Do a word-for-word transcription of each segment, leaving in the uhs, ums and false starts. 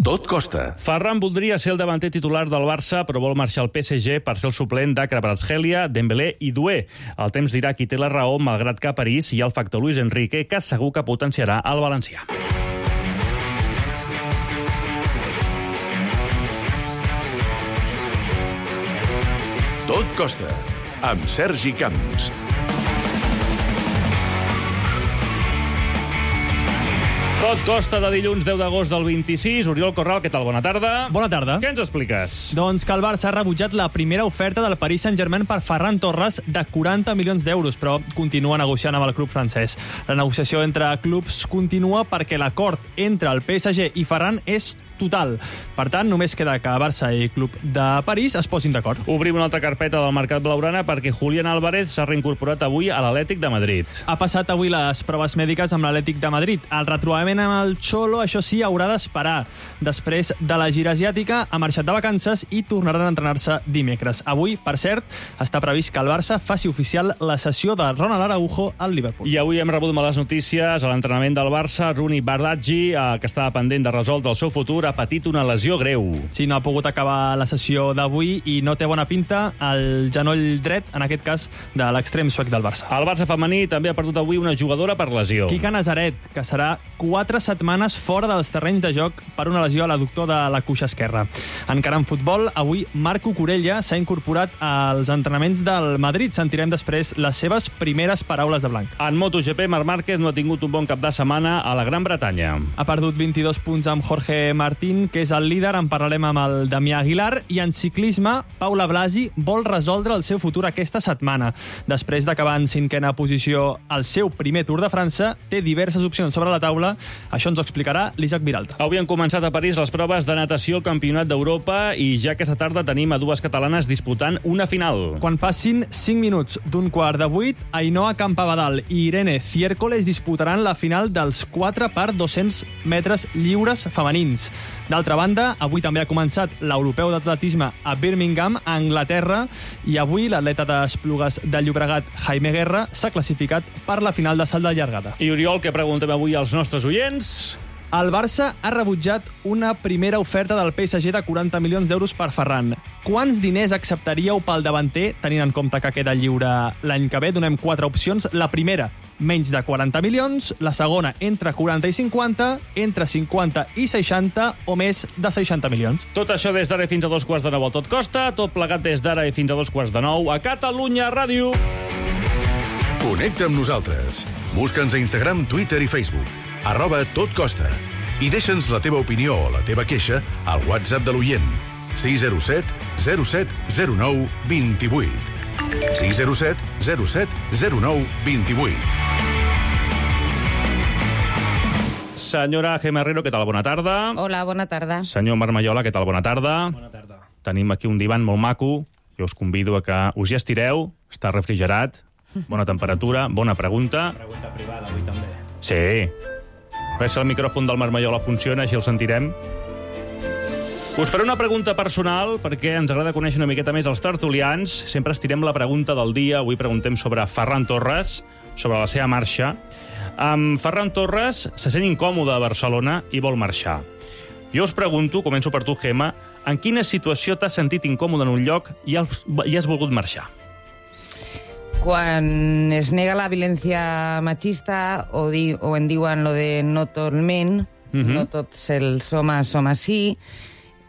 Tot costa. Ferran voldria ser el davanter titular del Barça, però vol marxar al P S G per ser el suplent de Kvaratskhelia, Dembélé i Doué. El temps dirà qui té la raó, malgrat que a París hi ha el factor Luis Enrique, que segur que potenciarà el valencià. Tot costa, amb Sergi Camps. Tot costa de dilluns deu d'agost del vint-i-sis. Oriol Corral, què tal? Bona tarda. Bona tarda. Què ens expliques? Doncs que el Barça ha rebutjat la primera oferta del Paris Saint-Germain per Ferran Torres de quaranta milions d'euros, però continua negociant amb el club francès. La negociació entre clubs continua perquè l'acord entre el P S G i Ferran és total. Per tant, només queda que Barça i Club de París es posin d'acord. Obrim una altra carpeta del mercat blaugrana perquè Julián Álvarez s'ha reincorporat avui a l'Atlètic de Madrid. Ha passat avui les proves mèdiques amb l'Atlètic de Madrid. El retrobament amb el Cholo, això sí, haurà d'esperar. Després de la gira asiàtica, ha marxat de vacances i tornaran a entrenar-se dimecres. Avui, per cert, està previst que el Barça faci oficial la cessió de Ronald Araujo al Liverpool. I avui hem rebut males notícies a l'entrenament del Barça. Rooney Bardghji, eh, que estava pendent de resoldre el seu futur, ha patit una lesió greu. Sí, no ha pogut acabar la sessió d'avui i no té bona pinta el genoll dret, en aquest cas, de l'extrem suec del Barça. El Barça femení també ha perdut avui una jugadora per lesió. Quica Nazaret, que serà quatre setmanes fora dels terrenys de joc per una lesió a l'adductor de la cuixa esquerra. Encara en futbol, avui Marc Cucurella s'ha incorporat als entrenaments del Madrid. Sentirem després les seves primeres paraules de blanc. En MotoGP, Marc Márquez no ha tingut un bon cap de setmana a la Gran Bretanya. Ha perdut vint-i-dos punts amb Jorge Martín, que és el líder. En parlarem amb el Damià Aguilar. I en ciclisme, Paula Blasi vol resoldre el seu futur aquesta setmana. Després d'acabar en cinquena posició al seu primer Tour de França, té diverses opcions sobre la taula. Això ens ho explicarà l'Isaac Viralta. Avui han començat a París les proves de natació al Campionat d'Europa i ja aquesta tarda tenim a dues catalanes disputant una final. Quan passin cinc minuts d'un quart de vuit, Ainhoa Campabadal i Irene Ciércoles disputaran la final dels quatre per dos-cents metres lliures femenins. D'altra banda, avui també ha començat l'Europeu d'Atletisme a Birmingham, a Anglaterra, i avui l'atleta d'Esplugues de Llobregat, Jaime Guerra, s'ha classificat per la final de salt de llargada. I Oriol, què preguntem avui als nostres oients? El Barça ha rebutjat una primera oferta del P S G de quaranta milions d'euros per Ferran. Quants diners acceptaríeu pel davanter, tenint en compte que queda lliure l'any que ve? Donem quatre opcions. La primera, menys de quaranta milions. La segona, entre quaranta i cinquanta. Entre cinquanta i seixanta o més de seixanta milions. Tot això des d'ara fins a dos quarts de nou a Tot Costa. Tot plegat des d'ara fins a dos quarts de nou a Catalunya Ràdio. Connecta amb nosaltres. Busca'ns a Instagram, Twitter i Facebook. Arroba Tot Costa. I deixa'ns la teva opinió o la teva queixa al WhatsApp de l'oient. sis zero set zero set zero nou dos vuit. sis zero set zero set zero nou dos vuit. Senyora Gemma Herrero, què tal? Bona tarda. Hola, bona tarda. Senyor Marmayola, què tal? Bona tarda. Bona tarda. Tenim aquí un divan molt maco. Jo us convido a que us hi estireu. Està refrigerat. Bona temperatura. Bona pregunta. Pregunta privada, avui també. Sí. A veure si el micròfon del Marmayola funciona, així el sentirem. Us faré una pregunta personal, perquè ens agrada conèixer una miqueta més els tertulians. Sempre estirem la pregunta del dia. Avui preguntem sobre Ferran Torres, sobre la seva marxa. Um, Ferran Torres se sent incòmode a Barcelona i vol marxar. Jo us pregunto, començo per tu, Gemma, en quina situació t'has sentit incòmode en un lloc i has, i has volgut marxar? Quan es nega la violència machista o, di, o en diuen lo de no tot el men, uh-huh. no tots els homes som així,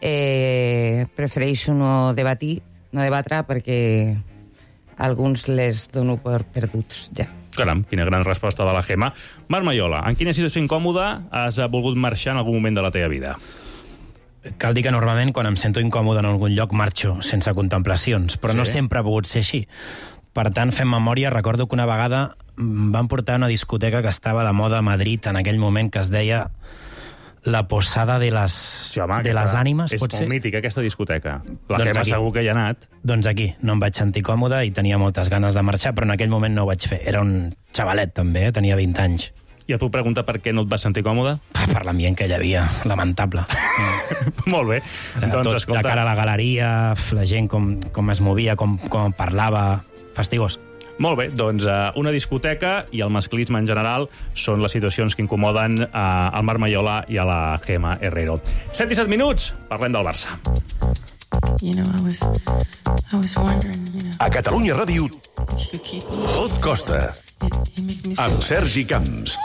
eh, prefereixo no debatir, no debatre perquè alguns les dono per perduts ja. Caram, quina gran resposta de la Gemma. Marmayola, en quina situació incòmoda has volgut marxar en algun moment de la teva vida? Cal dir que normalment quan em sento incòmode en algun lloc marxo sense contemplacions, però sí. No sempre ha pogut ser així. Per tant, fent memòria, recordo que una vegada em van portar a una discoteca que estava de moda a Madrid en aquell moment, que es deia La Posada de les, sí, home, de les Ànimes, és pot ser? molt mítica, aquesta discoteca. La doncs Gemma aquí. segur que hi ha anat. Doncs aquí, no em vaig sentir còmode i tenia moltes ganes de marxar, però en aquell moment no ho vaig fer. Era un xavalet, també, eh? Tenia vint anys. I a tu pregunta per què no et vas sentir còmode? Per l'ambient que hi havia, lamentable. Molt bé. Doncs, Tot, escolta... la cara a la galeria, la gent com, com es movia, com, com parlava... Fastigós. Molt bé, doncs uh, una discoteca i el masclisme en general són les situacions que incomoden uh, al Marc Maiola i a la Gemma Herrero. set i set minuts, parlem del Barça. You know, I was, I was wondering, you know, A Catalunya Ràdio, if you could keep on. Tot Costa, It, it makes me feel amb Sergi Camps.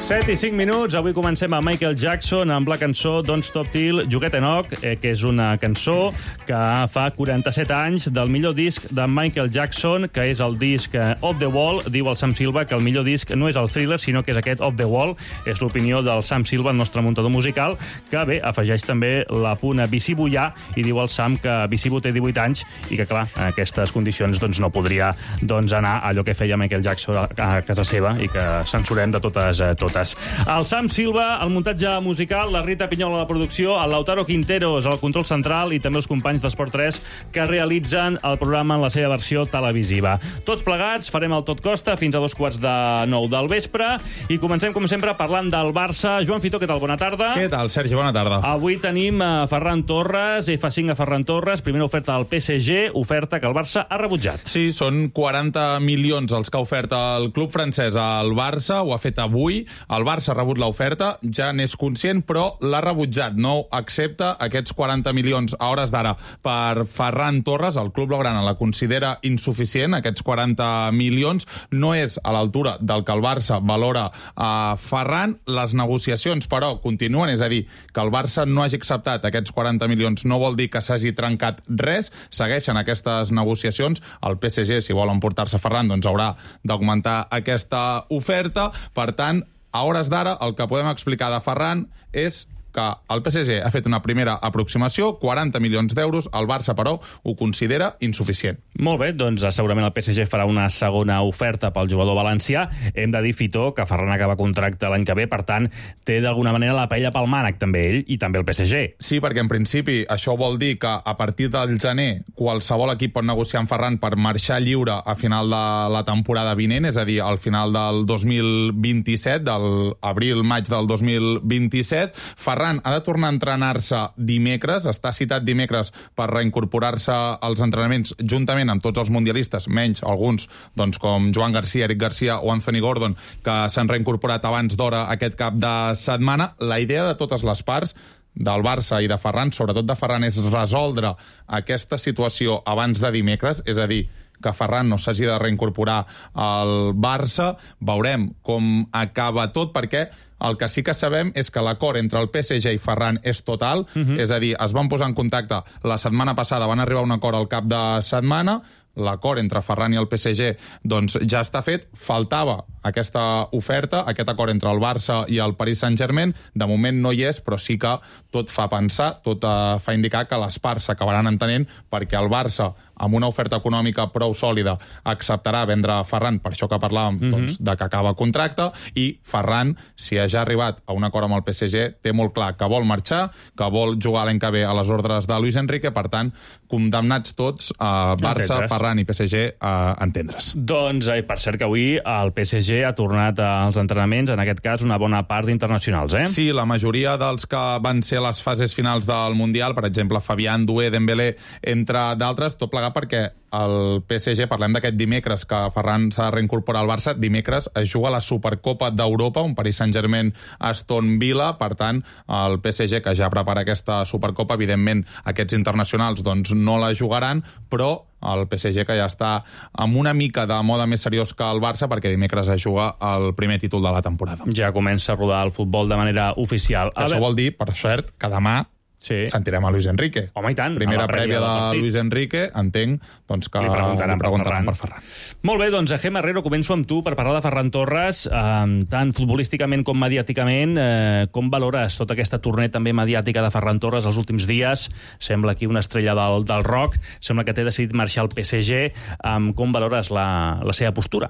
set i cinc minuts, avui comencem amb Michael Jackson amb la cançó Don't Stop Till You Get Enough, eh, que és una cançó que fa quaranta-set anys del millor disc de Michael Jackson, que és el disc eh, Off the Wall. Diu el Sam Silva que el millor disc no és el Thriller, sinó que és aquest Off the Wall. És l'opinió del Sam Silva, el nostre muntador musical, que bé, afegeix també la puna Visibu ja, i diu el Sam que Visibu té divuit anys i que, clar, en aquestes condicions doncs, no podria doncs, anar a allò que feia Michael Jackson a, a casa seva i que censurem de totes, eh, totes. El Sam Silva, el muntatge musical, la Rita Pinyola a la producció, el Lautaro Quinteros al control central i també els companys d'Esport tres que realitzen el programa en la seva versió televisiva. Tots plegats farem el Tot Costa fins a dos quarts de nou del vespre i comencem, com sempre, parlant del Barça. Joan Fitó, què tal? Bona tarda. Què tal, Sergi? Bona tarda. Avui tenim a Ferran Torres, F cinc a Ferran Torres, primera oferta del P S G, oferta que el Barça ha rebutjat. Sí, són quaranta milions els que ha ofert el club francès al Barça, ho ha fet avui. El Barça ha rebut l'oferta, ja n'és conscient, però l'ha rebutjat. No accepta aquests quaranta milions a hores d'ara per Ferran Torres. El club blaugrana la considera insuficient, aquests quaranta milions. No és a l'altura del que el Barça valora a Ferran. Les negociacions, però, continuen, és a dir, que el Barça no hagi acceptat aquests quaranta milions no vol dir que s'hagi trencat res. Segueixen aquestes negociacions. El P S G, si vol emportar-se Ferran, doncs haurà d'augmentar aquesta oferta. Per tant, a hores d'ara, el que podem explicar de Ferran és que el P S G ha fet una primera aproximació, quaranta milions d'euros, el Barça, però, ho considera insuficient. Molt bé, doncs segurament el P S G farà una segona oferta pel jugador valencià. Hem de dir, Fitó, que Ferran acaba contracte l'any que ve, per tant, té d'alguna manera la paella pel mànec, també ell, i també el P S G. Sí, perquè en principi això vol dir que a partir del gener qualsevol equip pot negociar amb Ferran per marxar lliure a final de la temporada vinent, és a dir, al final del dos mil vint-i-set, del abril-maig del dos mil vint-i-set. Ferran ha de tornar a entrenar-se dimecres, està citat dimecres per reincorporar-se als entrenaments juntament amb tots els mundialistes, menys alguns doncs, com Joan Garcia, Eric Garcia o Anthony Gordon, que s'han reincorporat abans d'hora aquest cap de setmana. La idea de totes les parts del Barça i de Ferran, sobretot de Ferran, és resoldre aquesta situació abans de dimecres, és a dir, que Ferran no s'hagi de reincorporar al Barça. Veurem com acaba tot, perquè el que sí que sabem és que l'acord entre el P S G i Ferran és total, uh-huh. És a dir, es van posar en contacte la setmana passada, van arribar a un acord al cap de setmana, l'acord entre Ferran i el P S G doncs, ja està fet. Faltava aquesta oferta, aquest acord entre el Barça i el Paris Saint-Germain. De moment no hi és, però sí que tot fa pensar, tot eh, fa indicar que les parts s'acabaran entenent, perquè el Barça, amb una oferta econòmica prou sòlida, acceptarà vendre Ferran, per això que parlàvem, mm-hmm. doncs, de que acaba contracte, i Ferran, si ja ha arribat a un acord amb el P S G, té molt clar que vol marxar, que vol jugar l'any que ve a les ordres de Luis Enrique. Per tant, condemnats tots, a Barça, Entendres. Ferran i P S G, a entendre's. Doncs, eh, per cert que avui el P S G ha tornat als entrenaments, en aquest cas una bona part d'internacionals, eh? Sí, la majoria dels que van ser a les fases finals del Mundial, per exemple, Fabián, Doué, Dembélé, entre d'altres, tot plegat perquè el P S G, parlem d'aquest dimecres que Ferran s'ha de reincorporar al Barça, dimecres es juga la Supercopa d'Europa, un Paris Saint-Germain Aston Villa. Per tant, el P S G, que ja prepara aquesta Supercopa, evidentment aquests internacionals doncs, no la jugaran, però el P S G que ja està amb una mica de moda més seriós que el Barça, perquè dimecres es juga el primer títol de la temporada. Ja comença a rodar el futbol de manera oficial. A Això vol dir, per cert, que demà sí. sentirem a Luis Enrique. Home, i tant. Primera prèvia de Luis Enrique, entenc doncs, que li preguntaran, li preguntaran per, per Ferran. Molt bé, doncs, Gemma Herrero, començo amb tu per parlar de Ferran Torres, eh, tant futbolísticament com mediàticament. Eh, com valores tota aquesta tornada també mediàtica de Ferran Torres els últims dies? Sembla aquí una estrella del, del rock, sembla que té decidit marxar al P S G. Eh, com valores la, la seva postura?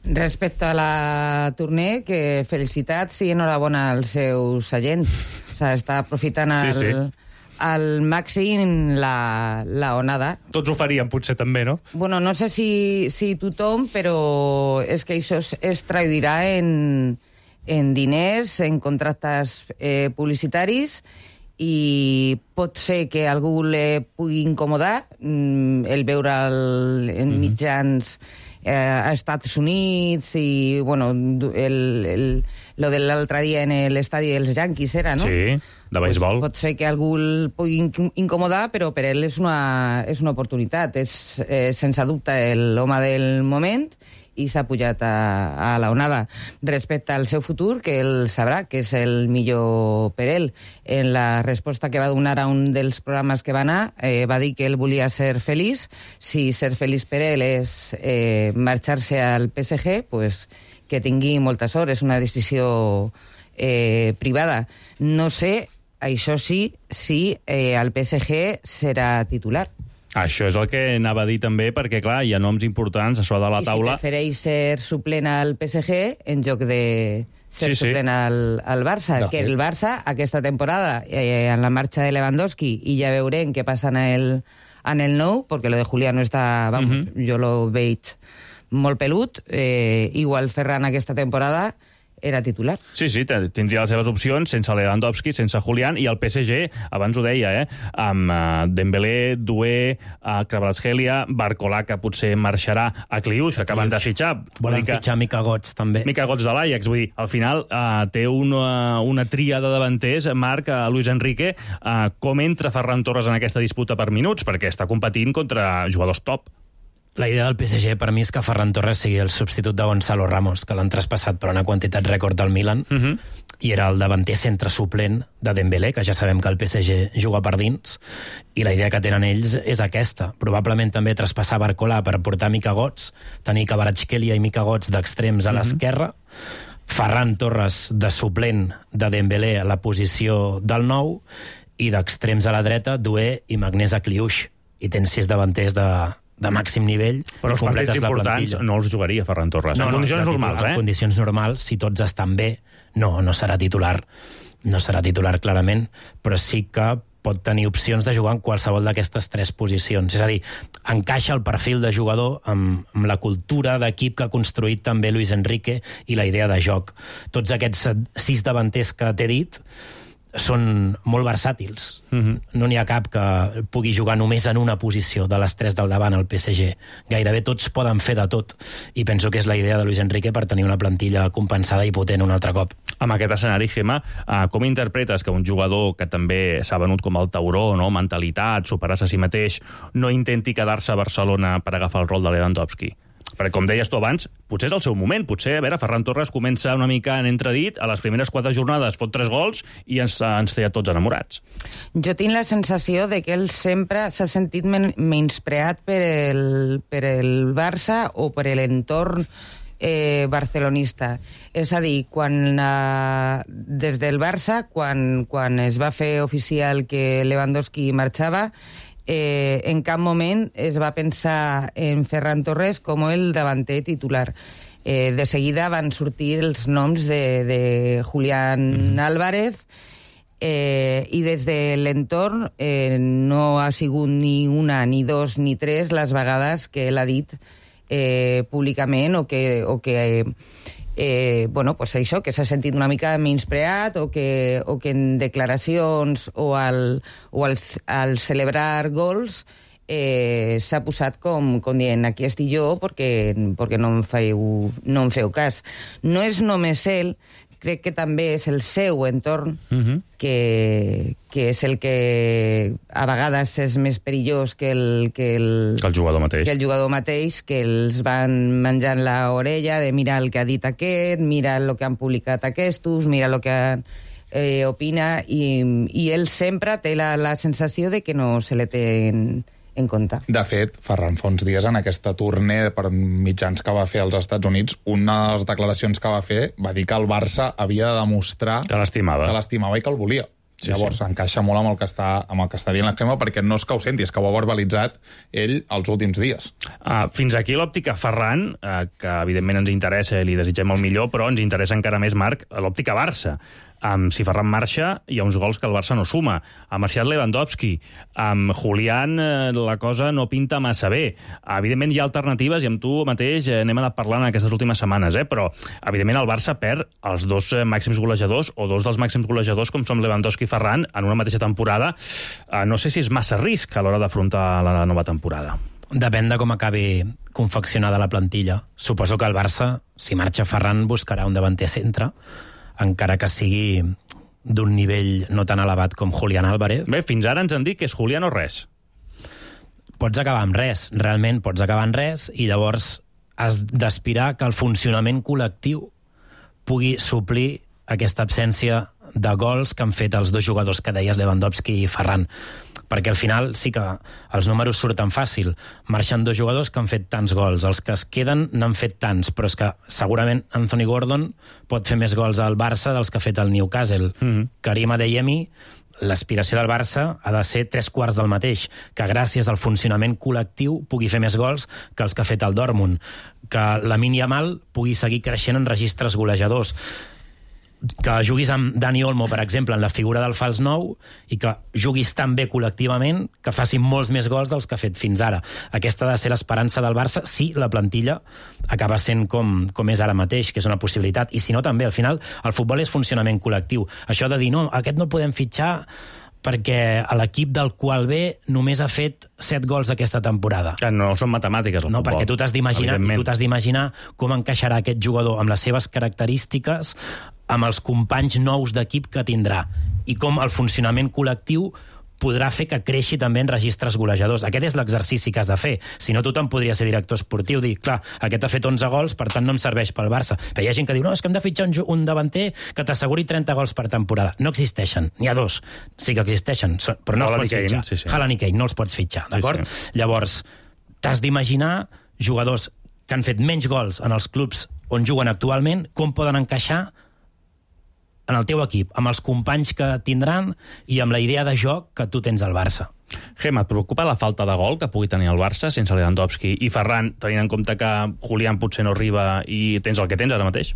Respecte a la tournée, que felicitats i enhorabona als seus agents. O sigui, està aprofitant el, sí, sí. al màxim la, la onada. Tots ho farien, potser també, no? Bueno, no sé si, si tothom, però és que això es, es traduirà en, en diners, en contractes eh, publicitaris, i pot ser que algú le pugui incomodar mm, el veure'l en mitjans eh, a Estats Units i, bueno, el, el, lo de l'altre dia en l'estadi dels Yankees era, no? Sí, de beisbol. Pues pot ser que algú el pugui incomodar, però per ell és una, és una oportunitat. És, eh, sense dubte, l'home del moment i s'ha pujat a, a la onada. Respecte al seu futur, que ell sabrà que és el millor per ell. En la resposta que va donar a un dels programes que va anar, eh, va dir que ell volia ser feliç. Si ser feliç per ell és eh, marxar-se al P S G, pues, que tingui molta sort. És una decisió eh, privada. No sé, això sí, si eh, el P S G serà titular. Això és el que anava a dir també, perquè, clar, hi ha noms importants a sobre de la I taula. I si prefereix ser suplent al P S G en lloc de ser sí, sí. suplent al, al Barça. De que fet. El Barça, aquesta temporada, eh, en la marxa de Lewandowski, i ja veurem què passa en el, en el nou, perquè lo de Julián no està, vamos, uh -huh. jo lo veig molt pelut. Eh, igual Ferran aquesta temporada era titular. Sí, sí, tindria les seves opcions sense Lewandowski, sense Julián, i el P S G, abans ho deia, eh, amb uh, Dembélé, Doué, uh, Kvaratskhelia, Barcola, que potser marxarà a Cliuix, que acaben de fitxar. Volen que... fitxar Mika Götze, també. Mika Götze de l'Ajax, vull dir, al final uh, té una, una tria de davanters, Marc, uh, Luis Enrique, uh, com entra Ferran Torres en aquesta disputa per minuts, perquè està competint contra jugadors top. La idea del P S G per mi és que Ferran Torres sigui el substitut de Gonzalo Ramos, que l'han traspassat per una quantitat rècord del Milan, uh -huh. i era el davanter centre suplent de Dembélé, que ja sabem que el P S G juga per dins, i la idea que tenen ells és aquesta. Probablement també traspassar Barcola per portar Mika Götze, tenir Kvaratskhelia i Mika Götze d'extrems a uh -huh. l'esquerra, Ferran Torres de suplent de Dembélé a la posició del nou, i d'extrems a la dreta, Doué i Magnés a Cliuix. I tens sis davanters de... de màxim nivell. Però els partits importants no els jugaria Ferran Torres. No, en condicions no, normals, titular, eh? En condicions normals, si tots estan bé, no, no serà titular. No serà titular, clarament, però sí que pot tenir opcions de jugar en qualsevol d'aquestes tres posicions. És a dir, encaixa el perfil de jugador amb, amb la cultura d'equip que ha construït també Luis Enrique i la idea de joc. Tots aquests sis davanters que t'he dit són molt versàtils. Uh-huh. No n'hi ha cap que pugui jugar només en una posició de les tres del davant al P S G. Gairebé tots poden fer de tot, i penso que és la idea de Luis Enrique per tenir una plantilla compensada i potent un altre cop. Amb aquest escenari, Gemma, uh, com interpretes que un jugador que també s'ha venut com el tauró, no? Mentalitat, superar-se a si mateix, no intenti quedar-se a Barcelona per agafar el rol de Lewandowski? Perquè, com deies tu abans, potser és el seu moment. Potser, a veure, Ferran Torres comença una mica en entredit, a les primeres quatre jornades fot tres gols i ens, ens té a tots enamorats. Jo tinc la sensació de que ell sempre s'ha sentit men menyspreat per el, per el Barça o per l'entorn eh, barcelonista. És a dir, quan, eh, des del Barça, quan, quan es va fer oficial que Lewandowski marxava, Eh, en cap moment es va pensar en Ferran Torres com el davanter titular. Eh, de seguida van sortir els noms de, de Julián mm. Álvarez, eh, i des de l'entorn eh, no ha sigut ni una, ni dos, ni tres les vegades que ell ha dit eh, públicament o que... O que eh, Eh, bueno, pues això, que s'ha sentit una mica menyspreat o que, o que en declaracions o al, o al, al celebrar gols eh, s'ha posat com, com dient aquí estic jo perquè, perquè no, em feu, no em feu cas. No és només ell, crec que també és el seu entorn uh-huh. que, que és el que a vegades és més perillós que el, que el, que el jugador mateix. Que el jugador mateix, que els van menjant l'orella de mira el que ha dit aquest, mira el que han publicat aquestos, mira el que eh, opina, i, i ell sempre té la, la sensació de que no se li té en, en compte. De fet, Ferran, fa uns dies, en aquesta tournée per mitjans que va fer als Estats Units, una de les declaracions que va fer va dir que el Barça havia de demostrar que l'estimava, que l'estimava i que el volia. Sí, Llavors, sí. encaixa molt amb el que està, amb el que està dient la Gemma, perquè no és que ho senti, és que ho ha verbalitzat ell els últims dies. Uh, fins aquí l'òptica Ferran, uh, que evidentment ens interessa i li desitgem el millor, però ens interessa encara més, Marc, l'òptica Barça. Um, si Ferran marxa, hi ha uns gols que el Barça no suma. Ha marxat Lewandowski. Amb Julián eh, la cosa no pinta massa bé. Evidentment hi ha alternatives i amb tu mateix eh, n'hem anat parlant aquestes últimes setmanes, eh? Però evidentment el Barça perd els dos eh, màxims golejadors o dos dels màxims golejadors com som Lewandowski i Ferran en una mateixa temporada. Eh, no sé si és massa risc a l'hora d'afrontar la nova temporada. Depèn de com acabi confeccionada la plantilla. Suposo que el Barça, si marxa Ferran, buscarà un davanter centre, encara que sigui d'un nivell no tan elevat com Julián Álvarez. Bé, fins ara ens han dit que és Julián o res. Pots acabar amb res, realment pots acabar amb res, i llavors has d'aspirar que el funcionament col·lectiu pugui suplir aquesta absència de gols que han fet els dos jugadors que deies, Lewandowski i Ferran. Perquè al final sí que els números surten fàcil. Marxen dos jugadors que han fet tants gols. Els que es queden n'han fet tants, però és que segurament Anthony Gordon pot fer més gols al Barça dels que ha fet el Newcastle. Mm-hmm. Karim Adeyemi, l'aspiració del Barça ha de ser tres quarts del mateix, que gràcies al funcionament col·lectiu pugui fer més gols que els que ha fet el Dortmund, que Lamine Yamal pugui seguir creixent en registres golejadors, que juguis amb Dani Olmo, per exemple, en la figura del fals nou, i que juguis tan bé col·lectivament que facin molts més gols dels que ha fet fins ara. Aquesta ha de ser l'esperança del Barça si la plantilla acaba sent com, com és ara mateix, que és una possibilitat. I si no, també, al final, el futbol és funcionament col·lectiu. Això de dir, no, aquest no el podem fitxar perquè l'equip del qual ve només ha fet set gols aquesta temporada. Que no són matemàtiques, el no, futbol. Perquè tu t'has d'imaginar i tu t'has d'imaginar com encaixarà aquest jugador amb les seves característiques amb els companys nous d'equip que tindrà i com el funcionament col·lectiu podrà fer que creixi també en registres golejadors. Aquest és l'exercici que has de fer. Si no, tothom podria ser director esportiu, dir, clar, aquest ha fet onze gols, per tant no em serveix pel Barça. Però hi ha gent que diu, no, és que hem de fitxar un, un davanter que t'asseguri trenta gols per temporada. No existeixen, n'hi ha dos. Sí que existeixen, però no Haaland els pots Kane, fitxar. Sí, sí. Haaland i Kane no els pots fitxar, d'acord? Sí, sí. Llavors, t'has d'imaginar jugadors que han fet menys gols en els clubs on juguen actualment, com poden encaixar en el teu equip, amb els companys que tindran i amb la idea de joc que tu tens al Barça. Gemma, et preocupa la falta de gol que pugui tenir el Barça sense Lewandowski i Ferran, tenint en compte que Julián potser no arriba i tens el que tens ara mateix?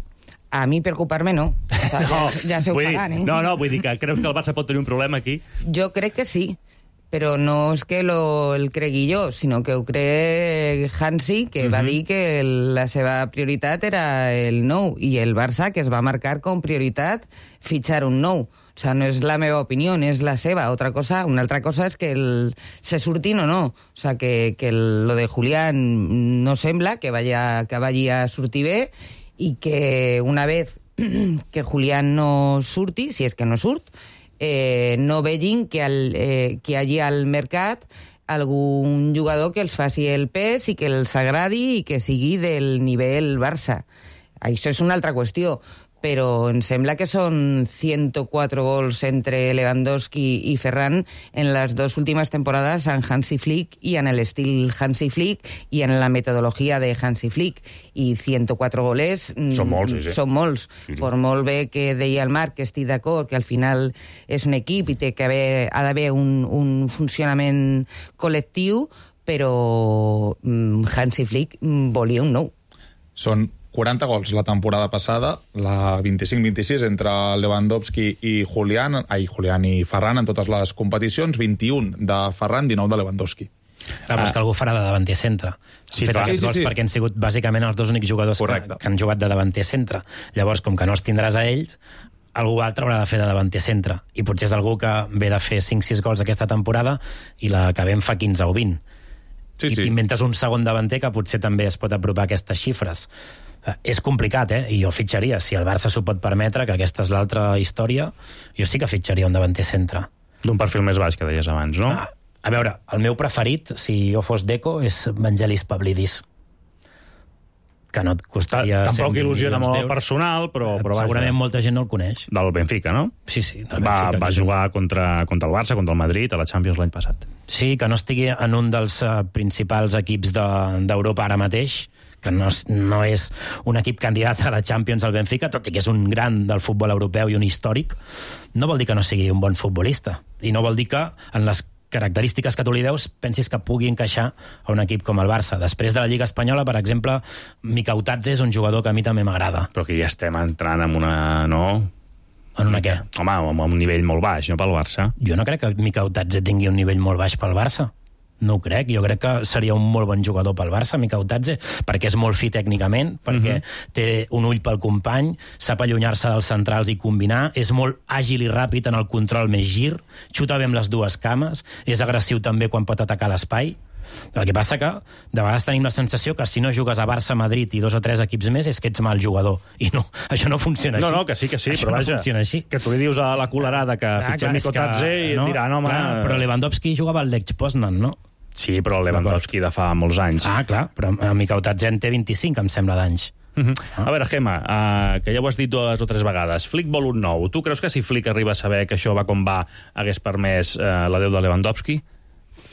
A mi preocupar-me no. O sea, ja, ja se ho faran, eh? No, no, vull dir que creus que el Barça pot tenir un problema aquí? Jo crec que sí, però no és que lo, el cregui jo, sinó que ho cree Hansi, que uh-huh. va dir que el, la seva prioritat era el nou, i el Barça, que es va marcar com prioritat fitxar un nou. O sea, no és la meva opinió, és la seva. Otra cosa, una altra cosa és que el, se surtin o no. O sea, que, que el, lo de Julián no sembla que, vaya, que vagi a sortir bé i que una vez que Julián no surti, si és que no surt, Eh, no vegin que, al, eh, que hi hagi al mercat algun jugador que els faci el pes i que els agradi i que sigui del nivell Barça. Això és una altra qüestió, però em sembla que són ciento cuatro gols entre Lewandowski i Ferran en les dues últimes temporades en Hansi Flick i en l'estil Hansi Flick i en la metodologia de Hansi Flick. I ciento cuatro goles són molts, sí, sí. Són molts. Sí. Per molt bé que deia el Marc, que estic d'acord, que al final és un equip i té que haver, ha d'haver un, un funcionament col·lectiu, però Hansi Flick volia un nou. Són quaranta gols la temporada passada, la vint-i-cinc vint-i-sis entre Lewandowski i Julián, ai, Julián i Ferran en totes les competicions, vint-i-un de Ferran, dinou de Lewandowski. Clar, però és que algú farà de davanter centre. Sí, han fet clar. aquests Sí, gols sí, sí. perquè han sigut bàsicament els dos únics jugadors que, que han jugat de davanter centre. Llavors, com que no els tindràs a ells, algú altre haurà de fer de davanter centre. I potser és algú que ve de fer cinc sis gols aquesta temporada i la que ve en fa quinze o vint. Sí, I sí. t'inventes un segon davanter que potser també es pot apropar a aquestes xifres. És complicat, eh? I jo fitxaria. Si el Barça s'ho pot permetre, que aquesta és l'altra història, jo sí que fitxaria un davanter centre. D'un perfil més baix, que deies abans, no? A, a veure, el meu preferit, si jo fos Deco, és Vangelis Pavlidis. Que no et costaria... Tampoc il·lusiona molt el personal, però... però segurament vaja, molta gent no el coneix. del Benfica, no? Sí, sí. Del Va, Benfica, va que jugar contra, contra el Barça, contra el Madrid, a la Champions l'any passat. Sí, que no estigui en un dels uh, principals equips d'Europa de, ara mateix, que no, no és un equip candidat a la Champions al Benfica, tot i que és un gran del futbol europeu i un històric, no vol dir que no sigui un bon futbolista. I no vol dir que en les característiques que tu li veus pensis que pugui encaixar a un equip com el Barça. Després de la Lliga Espanyola, per exemple, Micautadze és un jugador que a mi també m'agrada. Però que ja estem entrant en una... no? En una què? Home, amb un nivell molt baix, no pel Barça. Jo no crec que Mikel Otatze tingui un nivell molt baix pel Barça. No ho crec. Jo crec que seria un molt bon jugador pel Barça, Mikel Otatze, perquè és molt fi tècnicament, perquè uh-huh. té un ull pel company, sap allunyar-se dels centrals i combinar, és molt àgil i ràpid en el control més gir, xuta bé amb les dues cames, és agressiu també quan pot atacar l'espai. El que passa que de vegades tenim la sensació que si no jugues a Barça, Madrid i dos o tres equips més és que ets mal jugador. I no, això no funciona no, així. No, que sí, que sí, això però no vaja, funciona així. Que tu li dius a la colerada que ah, fitxa Mikel Otatze i no, et dirà, no, home... Clar, però Lewandowski jugava al Lech Poznan, no? Sí, però Lewandowski de fa molts anys. Ah, clar, però Mikel Otatze en té vint-i-cinc, em sembla, d'anys. Uh-huh. Ah. A veure, Gemma, uh, que ja ho has dit dues o tres vegades, Flick vol un nou. Tu creus que si Flick arriba a saber que això va com va hagués permès uh, l'adeu de Lewandowski?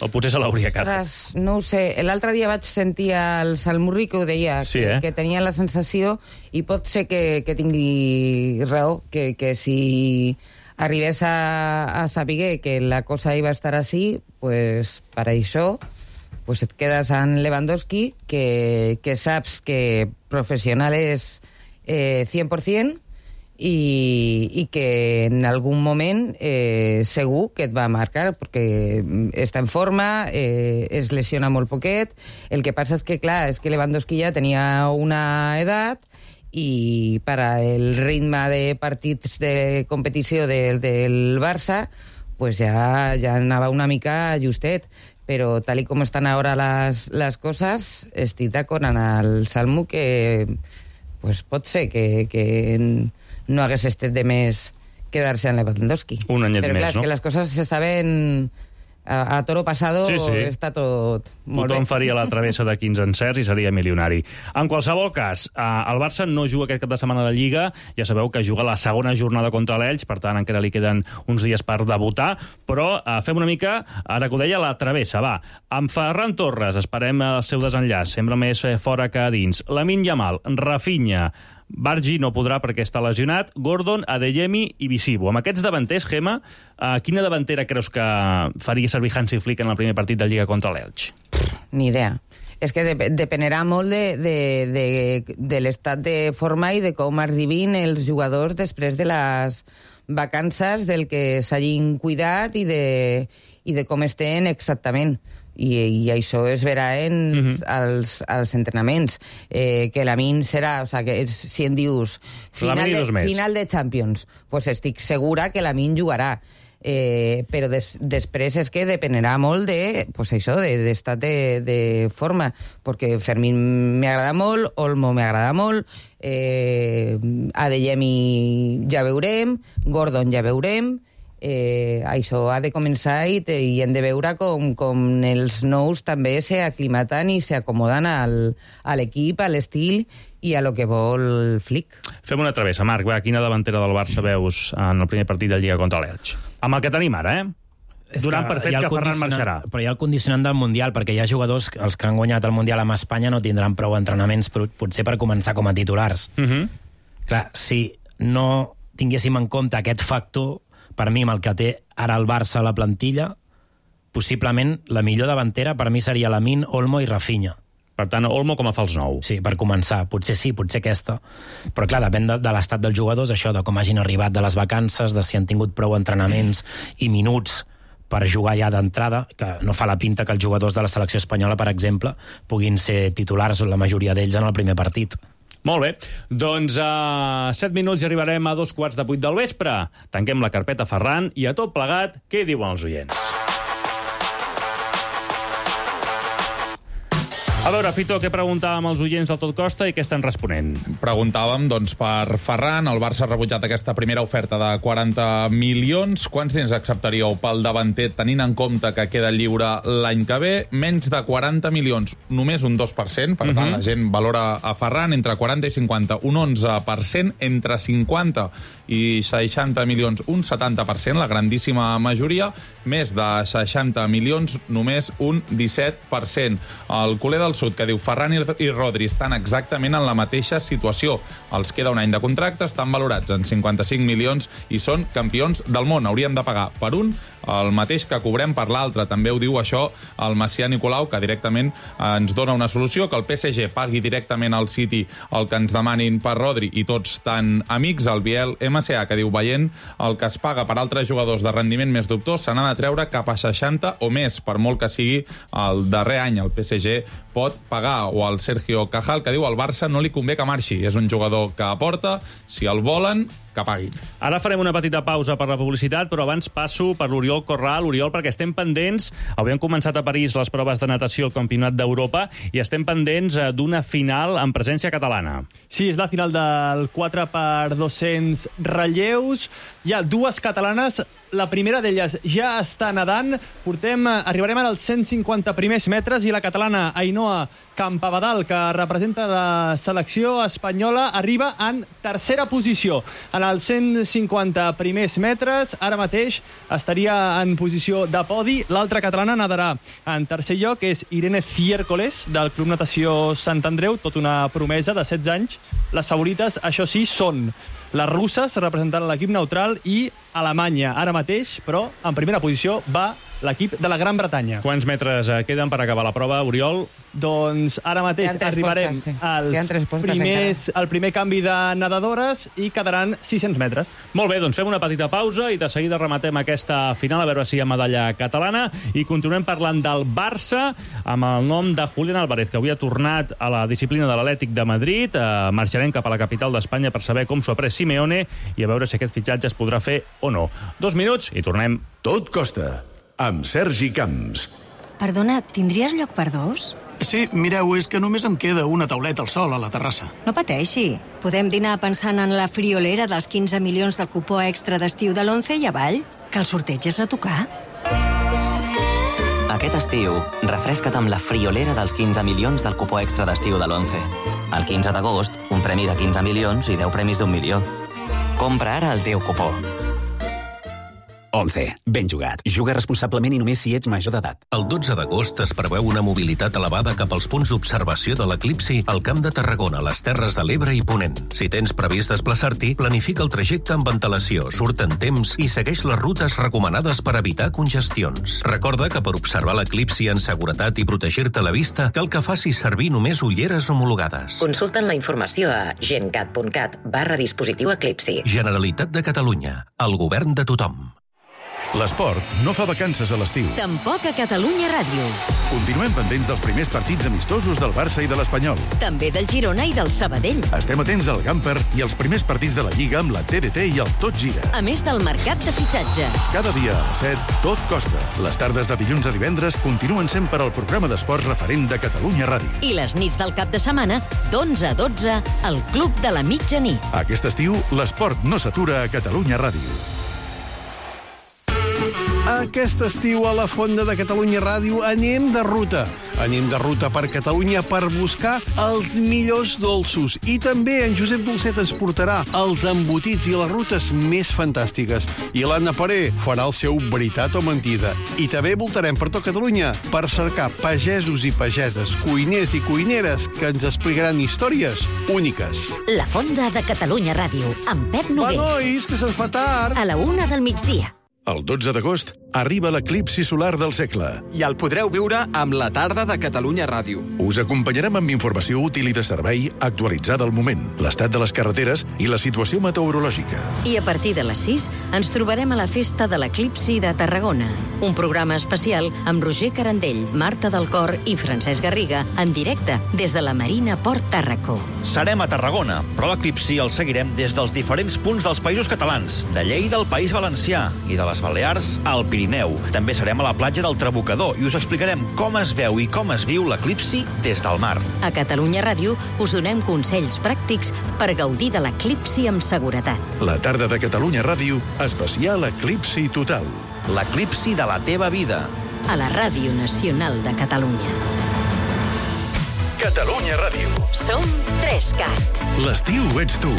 O potser se l'hauria quedat? No ho sé. L'altre dia vaig sentir el Salmurri que ho deia, sí, que, eh? que tenia la sensació, i pot ser que, que tingui raó, que, que si arribés a, a saber que la cosa iba a estar així, pues, per això pues et quedes en Lewandowski, que, que saps que professional és eh, cent per cent, i, i que en algun moment eh, segur que et va marcar, perquè està en forma, eh, es lesiona molt poquet. El que passa és que, clar, és que Lewandowski ja tenia una edat i per al ritme de partits de competició de, del Barça pues ja, ja anava una mica justet. Però tal i com estan ara les, les coses, estic d'acord en el Salmo que pues, pot ser que, que no hagués estat de més quedar-se en Lewandowski. Un anyet Però, clar, més, no? Però que les coses se saben a, a toro pasado, sí, sí. Està tot molt Tothom bé. faria la travessa de quinze encerts i seria milionari. En qualsevol cas, el Barça no juga aquest cap de setmana de Lliga, ja sabeu que juga la segona jornada contra l'Elx, per tant encara li queden uns dies per debutar, però eh, fem una mica, ara que ho deia, la travessa, va. Amb Ferran Torres esperem el seu desenllaç, sembla més fora que a dins. Lamine Yamal, Rafinha, Bargi no podrà perquè està lesionat, Gordon, Adeyemi i Visibo. Amb aquests davanters, Gemma, eh, quina davantera creus que faria servir Hansi Flick en el primer partit de Lliga contra l'Elx? Ni idea. És que dep dependerà molt de, de, de, de l'estat de forma i de com arribin els jugadors després de les vacances, del que s'hagin cuidat i de, i de com estén exactament. I, i això es verà en uh-huh. els, els entrenaments. Eh, que la min serà, o sigui, que si em dius final de, final de Champions, pues estic segura que la min jugarà. Eh, però des, després és que dependerà molt de, pues això, de, d'estat de, de forma, perquè Fermín m'agrada molt, Olmo m'agrada molt, eh, Adeyemi ja veurem, Gordon ja veurem. Eh, això ha de començar i, te, i hem de veure com, com els nous també s'aclimaten i s'acomoden al, a l'equip, a l'estil i a lo que vol Flick. Fem una travessa, Marc. Va, quina davantera del Barça veus en el primer partit de Lliga contra l'Elx? Amb el que tenim ara, eh? És Donant per fet que Ferran marxarà. Però hi ha el condicionant del Mundial, perquè hi ha jugadors, els que han guanyat el Mundial amb Espanya no tindran prou entrenaments, potser per començar com a titulars. Uh-huh. Clar, si no tinguéssim en compte aquest factor, per mi, amb el que té ara el Barça a la plantilla, possiblement la millor davantera per mi seria Lamine, Olmo i Rafinha. Per tant, Olmo com a fals nou. Sí, per començar. Potser sí, potser aquesta. Però clar, depèn de, de l'estat dels jugadors, això, de com hagin arribat de les vacances, de si han tingut prou entrenaments i minuts per jugar ja d'entrada, que no fa la pinta que els jugadors de la selecció espanyola, per exemple, puguin ser titulars, la majoria d'ells, en el primer partit. Molt bé, doncs a set minuts i arribarem a dos quarts de vuit del vespre. Tanquem la carpeta Ferran i a tot plegat, què diuen els oients? A veure, Fito, què preguntàvem als oients del Tot Costa i què estan responent? Preguntàvem, doncs, per Ferran. El Barça ha rebutjat aquesta primera oferta de quaranta milions. Quants diners acceptaríeu pel davanter, tenint en compte que queda lliure l'any que ve? Menys de quaranta milions, només un dos per cent. Per tant, uh-huh. la gent valora a Ferran entre quaranta i cinquanta, un onze per cent. Entre cinquanta i seixanta milions, un setanta per cent, la grandíssima majoria. Més de seixanta milions, només un disset per cent. El culer del Sud, que diu Ferran i Rodri estan exactament en la mateixa situació. Els queda un any de contracte, estan valorats en cinquanta-cinc milions i són campions del món. Hauríem de pagar per un el mateix que cobrem per l'altre. També ho diu això el Macià Nicolau, que directament ens dona una solució, que el P S G pagui directament al City el que ens demanin per Rodri i tots tan amics. El Biel M C A, que diu, veient el que es paga per altres jugadors de rendiment més dubtós, se n'ha de treure cap a seixanta o més, per molt que sigui el darrer any. El P S G pot pagar. O el Sergio Cajal, que diu, al Barça no li convé que marxi. És un jugador que aporta, si el volen, que paguin. Ara farem una petita pausa per la publicitat, però abans passo per l'Oriol Corral. Oriol, perquè estem pendents, avui han començat a París les proves de natació al Campionat d'Europa i estem pendents d'una final en presència catalana. Sí, és la final del quatre per dos-cents relleus. Hi ha dues catalanes, la primera d'elles ja està nedant. Portem, arribarem als cent cinquanta primers metres i la catalana Ainhoa Campabadal, que representa la selecció espanyola, arriba en tercera posició. En els cent cinquanta primers metres, ara mateix estaria en posició de podi. L'altra catalana nadarà en tercer lloc, és Irene Ciércoles, del Club Natació Sant Andreu, tot una promesa de setze anys. Les favorites, això sí, són les russes, representant l'equip neutral, i Alemanya. Ara mateix, però, en primera posició va l'equip de la Gran Bretanya. Quants metres queden per acabar la prova, Oriol? Doncs ara mateix arribarem postes, sí. als primers, al primer canvi de nedadores i quedaran sis-cents metres. Molt bé, doncs fem una petita pausa i de seguida rematem aquesta final, a veure si hi ha medalla catalana, i continuem parlant del Barça amb el nom de Julián Álvarez, que avui ha tornat a la disciplina de l'Atlètic de Madrid. Eh, marxarem cap a la capital d'Espanya per saber com s'ho ha pres Simeone i a veure si aquest fitxatge es podrà fer o no. Dos minuts i tornem. Tot costa, amb Sergi Camps. Perdona, tindries lloc per dos? Sí, mireu, és que només em queda una tauleta al sol a la terrassa. No pateixi. Podem dinar pensant en la friolera dels quinze milions del cupó extra d'estiu de l'Once i avall, que el sorteig és a tocar. Aquest estiu, refresca't amb la friolera dels quinze milions del cupó extra d'estiu de l'Once. El quinze d'agost, un premi de quinze milions i deu premis d'un milió. Compra ara el teu cupó. Once. Ben jugat. Juga responsablement i només si ets major d'edat. El dotze d'agost es preveu una mobilitat elevada cap als punts d'observació de l'eclipsi al Camp de Tarragona, les Terres de l'Ebre i Ponent. Si tens previst desplaçar-t'hi, planifica el trajecte amb antelació, surt en temps i segueix les rutes recomanades per evitar congestions. Recorda que per observar l'eclipsi en seguretat i protegir-te la vista, cal que facis servir només ulleres homologades. Consulten la informació a gencat.cat barra dispositiu eclipsi. Generalitat de Catalunya. El govern de tothom. L'esport no fa vacances a l'estiu. Tampoc a Catalunya Ràdio. Continuem pendents dels primers partits amistosos del Barça i de l'Espanyol. També del Girona i del Sabadell. Estem atents al Gamper i als primers partits de la Lliga amb la T D T i el Tot Gira. A més del mercat de fitxatges. Cada dia a les set, Tot costa. Les tardes de dilluns a divendres continuen sent per al programa d'esports referent de Catalunya Ràdio. I les nits del cap de setmana, d'onze a dotze, al Club de la Mitjanit. Aquest estiu, l'esport no s'atura a Catalunya Ràdio. Aquest estiu a la Fonda de Catalunya Ràdio anem de ruta. Anem de ruta per Catalunya per buscar els millors dolços. I també en Josep Dolcet ens portarà els embotits i les rutes més fantàstiques. I l'Anna Paré farà el seu veritat o mentida. I també voltarem per tot Catalunya per cercar pagesos i pageses, cuiners i cuineres que ens explicaran històries úniques. La Fonda de Catalunya Ràdio, amb Pep Noguer. Va, nois, que se'ns fa tard. A la una del migdia. El dotze d'agost arriba l'eclipsi solar del segle. I el podreu viure amb la tarda de Catalunya Ràdio. Us acompanyarem amb informació útil i de servei actualitzada al moment, l'estat de les carreteres i la situació meteorològica. I a partir de les sis ens trobarem a la Festa de l'Eclipsi de Tarragona. Un programa especial amb Roger Carandell, Marta del Cor i Francesc Garriga en directe des de la Marina Port Tàrraco. Serem a Tarragona, però l'eclipsi el seguirem des dels diferents punts dels països catalans, de Lleida al País Valencià i de les Balears al Pirineu. També serem a la platja del Trabucador i us explicarem com es veu i com es viu l'eclipsi des del mar. A Catalunya Ràdio us donem consells pràctics per gaudir de l'eclipsi amb seguretat. La tarda de Catalunya Ràdio, especial Eclipsi Total. L'eclipsi de la teva vida. A la Ràdio Nacional de Catalunya. Catalunya Ràdio. Som Trescat. L'estiu ets tu.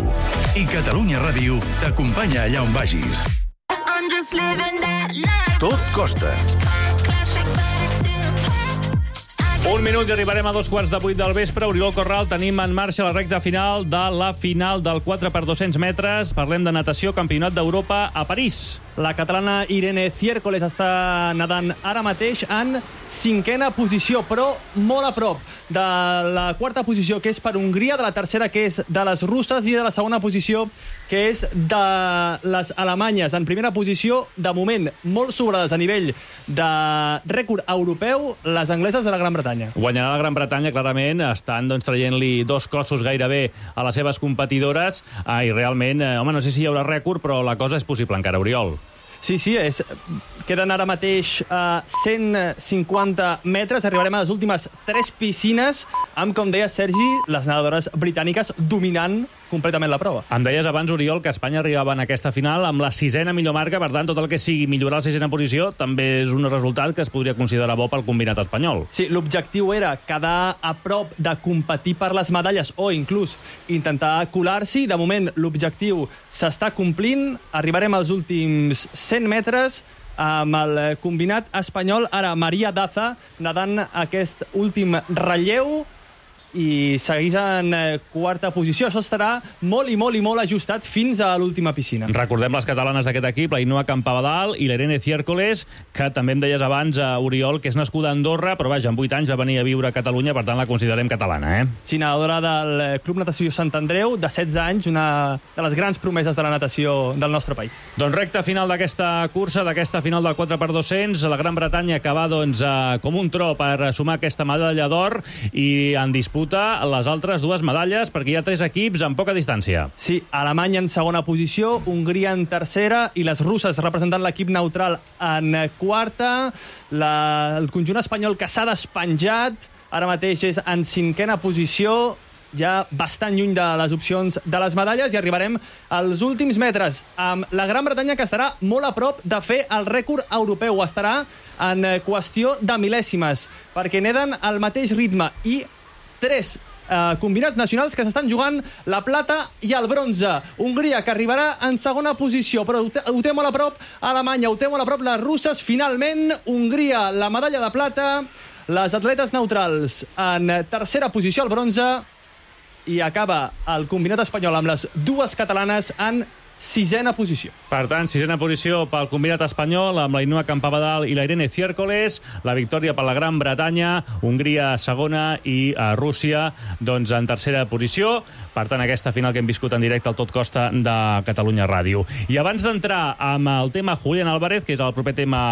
I Catalunya Ràdio t'acompanya allà on vagis. Tot costa. Un minut i arribarem a dos quarts de vuit del vespre. Oriol Corral, tenim en marxa la recta final de la final del quatre per dos-cents metres. Parlem de natació, campionat d'Europa a París. La catalana Irene Ciércoles està nedant ara mateix en cinquena posició, però molt a prop de la quarta posició, que és per Hongria, de la tercera, que és de les russes, i de la segona posició, que és de les alemanyes. En primera posició, de moment, molt sobrades a nivell de rècord europeu, les angleses de la Gran Bretanya. Guanyarà la Gran Bretanya, clarament. Estan doncs, traient-li dos cossos gairebé a les seves competidores. Ah, I realment, eh, home, no sé si hi haurà rècord, però la cosa és possible encara, Oriol. Sí, sí, és, queden ara mateix a cent cinquanta metres. Arribarem a les últimes tres piscines amb, com deia Sergi, les nedadores britàniques dominant completament la prova. Em deies abans, Oriol, que Espanya arribava en aquesta final amb la sisena millor marca, per tant, tot el que sigui millorar la sisena posició també és un resultat que es podria considerar bo pel combinat espanyol. Sí, l'objectiu era quedar a prop de competir per les medalles o inclús intentar colar-s'hi. De moment, l'objectiu s'està complint. Arribarem als últims cent metres amb el combinat espanyol. Ara, Maria Daza nedant aquest últim relleu i segueix en quarta posició. Això estarà molt i molt i molt ajustat fins a l'última piscina. Recordem les catalanes d'aquest equip, la Ainhoa Campabadal i l'Irene Ciércoles, que també em deies abans, a Oriol, que és nascuda a Andorra, però vaja, amb vuit anys va venir a viure a Catalunya, per tant la considerem catalana, eh? Sí, nedadora del Club Natació Sant Andreu, de setze anys, una de les grans promeses de la natació del nostre país. Doncs recta final d'aquesta cursa, d'aquesta final del quatre per dos-cents, la Gran Bretanya que va doncs, a, com un tro per sumar aquesta medalla d'or i en disputa les altres dues medalles, perquè hi ha tres equips amb poca distància. Sí, Alemanya en segona posició, Hongria en tercera i les russes representant l'equip neutral en quarta. La, el conjunt espanyol que s'ha despenjat ara mateix és en cinquena posició, ja bastant lluny de les opcions de les medalles, i arribarem als últims metres amb la Gran Bretanya, que estarà molt a prop de fer el rècord europeu. Estarà en qüestió de mil·lèsimes, perquè neden al mateix ritme i tres eh, combinats nacionals que s'estan jugant la plata i el bronze. Hongria, que arribarà en segona posició, però ho té, ho té molt a prop Alemanya, ho té molt a prop les russes. Finalment, Hongria, la medalla de plata, les atletes neutrals en tercera posició al bronze, i acaba el combinat espanyol amb les dues catalanes en sisena posició. Per tant, sisena posició pel combinat espanyol amb la Ainhoa Campabadal i la Irene Ciércoles, la victòria per la Gran Bretanya, Hongria segona i a Rússia doncs en tercera posició. Per tant, aquesta final que hem viscut en directe al Tot Costa de Catalunya Ràdio. I abans d'entrar amb el tema Julián Álvarez, que és el proper tema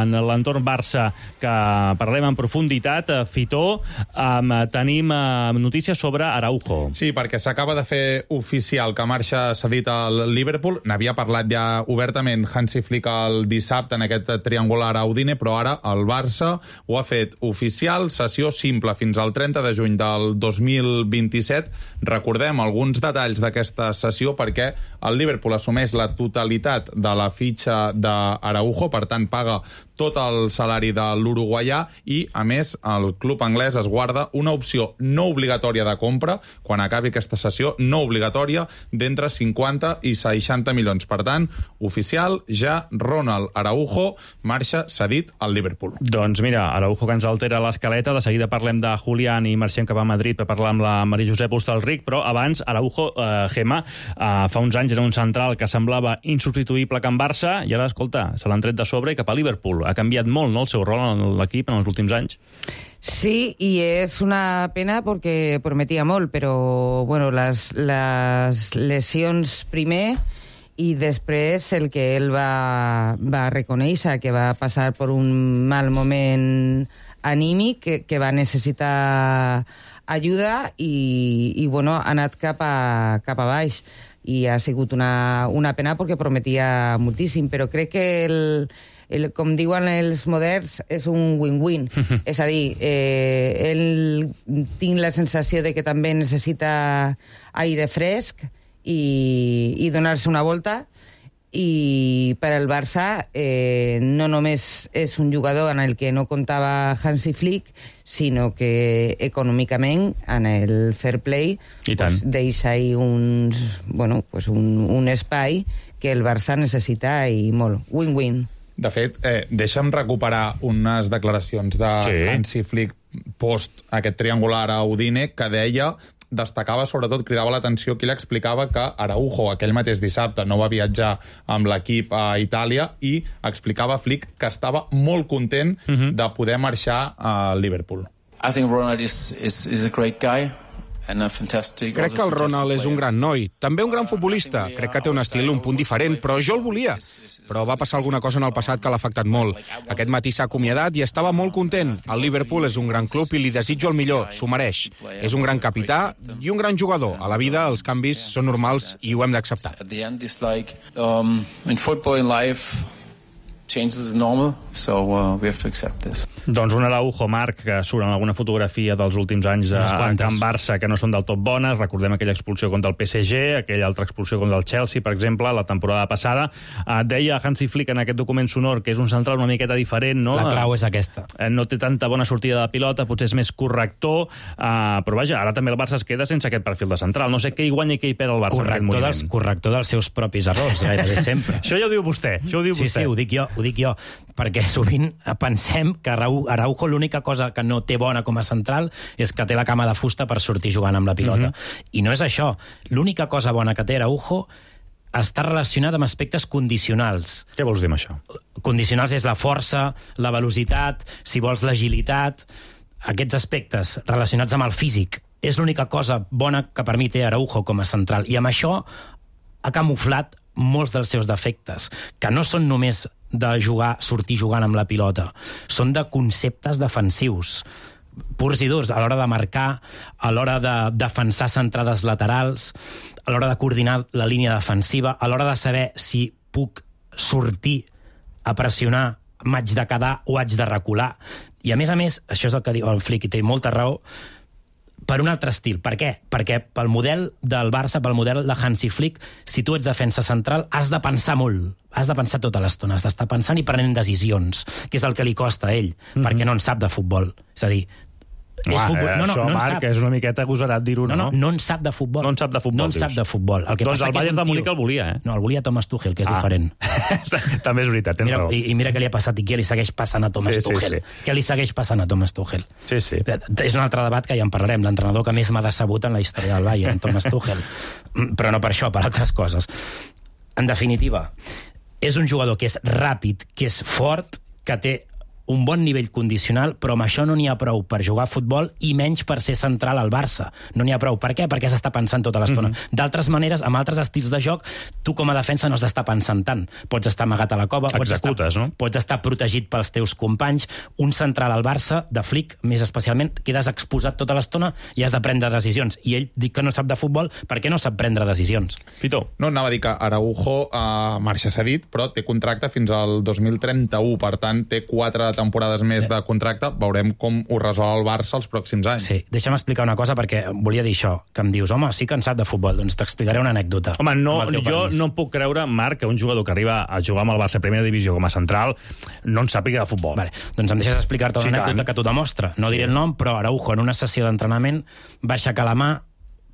en l'entorn Barça que parlem en profunditat, Fitó, um, tenim uh, notícies sobre Araujo. Sí, perquè s'acaba de fer oficial que marxa cedit al Liverpool. N'havia parlat ja obertament Hansi Flick el dissabte en aquest triangular a Udine, però ara el Barça ho ha fet oficial, sessió simple fins al trenta de juny del dos mil vint-i-set. Recordem alguns detalls d'aquesta sessió perquè el Liverpool assumeix la totalitat de la fitxa d'Araujo, per tant paga tot el salari de l'uruguaià i, a més, el club anglès es guarda una opció no obligatòria de compra quan acabi aquesta sessió, no obligatòria, d'entre cinquanta i seixanta milions. Per tant, oficial, ja Ronald Araujo marxa cedit al Liverpool. Doncs mira, Araujo que ens altera l'escaleta, de seguida parlem de Julián i marxem cap a Madrid per parlar amb la Maria Josep Hostalric, però abans Araujo, eh, Gemma, eh, fa uns anys era un central que semblava insubstituïble que en Barça, i ara, escolta, se l'han tret de sobre i cap a Liverpool. Ha canviat molt, no?, el seu rol en l'equip en els últims anys. Sí, y es una pena porque prometía molt, però bueno, les, les lesions primer i després el que ell va, va reconèixer, que va passar per un mal moment anímic, que, que va necessitar ajuda i, i bueno, ha anat cap a, cap a baix. I ha sigut una, una pena perquè prometia moltíssim, però crec que el, el, com diuen els moderns, és un win-win. És a dir, eh, ell tinc la sensació de que també necessita aire fresc i, i donar-se una volta, i per al Barça eh, no només és un jugador en el que no comptava Hansi Flick, sinó que econòmicament en el fair play pues, deixa ahí uns, bueno, pues un, un espai que el Barça necessita i molt. Win-win. De fet, eh, deixa'm recuperar unes declaracions de sí. Hansi Flick post aquest triangular a Udine, que deia, destacava, sobretot, cridava l'atenció que ell explicava que Araujo aquell mateix dissabte no va viatjar amb l'equip a Itàlia i explicava Flick que estava molt content uh-huh. de poder marxar a Liverpool. I think Ronald is, is, is a great guy. Crec que el Ronald és un gran noi, també un gran futbolista. Crec que té un estil un punt diferent, però jo el volia. Però va passar alguna cosa en el passat que l'ha afectat molt. Aquest matí s'ha acomiadat i estava molt content. El Liverpool és un gran club i li desitjo el millor, s'ho mereix. És un gran capità i un gran jugador. A la vida els canvis són normals i ho hem d'acceptar. Changes is normal, so uh, we have to accept this. Doncs un Araujo, Marc, que surt en alguna fotografia dels últims anys a, a Can Barça que no són del tot bones. Recordem aquella expulsió contra el P S G, aquella altra expulsió contra el Chelsea, per exemple, la temporada passada. Uh, deia Hansi Flick en aquest document sonor que és un central una miqueta diferent, no? La clau és aquesta. Uh, no té tanta bona sortida de pilota, potser és més corrector, uh, però vaja, ara també el Barça es queda sense aquest perfil de central. No sé què hi guanya i què hi perd el Barça corrector en aquest moment. Dels, corrector dels seus propis errors, gairebé sempre. Això ja ho diu vostè, això ho diu sí, vostè. Sí, ho dic jo, ho dic jo, perquè sovint pensem que Araujo l'única cosa que no té bona com a central és que té la cama de fusta per sortir jugant amb la pilota. Mm-hmm. I no és això. L'única cosa bona que té Araujo està relacionada amb aspectes condicionals. Què vols dir amb això? Condicionals és la força, la velocitat, si vols l'agilitat, aquests aspectes relacionats amb el físic. És l'única cosa bona que per mi té Araujo com a central. I amb això ha camuflat molts dels seus defectes, que no són només de jugar, sortir jugant amb la pilota. Són de conceptes defensius, purs i durs, a l'hora de marcar, a l'hora de defensar centrades laterals, a l'hora de coordinar la línia defensiva, a l'hora de saber si puc sortir a pressionar, m'haig de quedar o haig de recular. I a més a més, això és el que diu el Flick, i té molta raó, per un altre estil. Per què? Perquè pel model del Barça, pel model de Hansi Flick, si tu ets defensa central, has de pensar molt. Has de pensar tota l'estona, has d'estar pensant i prenent decisions, que és el que li costa a ell, mm-hmm. perquè no en sap de futbol. És a dir, és Uah, futbol. No, no, això, no Marc, és una miqueta agosarat dir-ho, no? No, no, no en sap de futbol. No en sap de futbol, No en sap de futbol. El que doncs el Bayern de Múnich el volia, eh? No, el volia Thomas Tuchel, que és ah. diferent. També és veritat, tens mira, raó. I, I mira què li ha passat i què li segueix passant a Thomas sí, Tuchel. Sí, sí. Què li segueix passant a Thomas Tuchel? Sí, sí. És un altre debat que ja en parlarem. L'entrenador que més m'ha decebut en la història del Bayern, Thomas Tuchel. Però no per això, per altres coses. En definitiva, és un jugador que és ràpid, que és fort, que té un bon nivell condicional, però amb això no n'hi ha prou per jugar a futbol i menys per ser central al Barça. No n'hi ha prou. Per què? Perquè s'està pensant tota l'estona. Mm-hmm. D'altres maneres, amb altres estils de joc, tu com a defensa no has d'estar pensant tant. Pots estar amagat a la cova, pots estar, no? pots estar protegit pels teus companys. Un central al Barça, de Flick, més especialment, quedes exposat tota l'estona i has de prendre decisions. I ell dic que no sap de futbol perquè no sap prendre decisions. Fito. No, anava a dir que Araujo uh, marxa cedit, però té contracte fins al dos mil trenta-u, per tant, té quatre temporades més de contracte, veurem com ho resol el Barça els pròxims anys. Sí, deixa'm explicar una cosa, perquè volia dir això, que em dius, home, sí que en sap de futbol, doncs t'explicaré una anècdota. Home, no, jo no em puc creure, Marc, que un jugador que arriba a jugar amb el Barça a Primera Divisió com a central no en sàpiga de futbol. Vale, doncs em deixes explicar-te sí, una anècdota tant. Que t'ho demostra. No sí. diré el nom, però Araujo, en una sessió d'entrenament, va aixecar la mà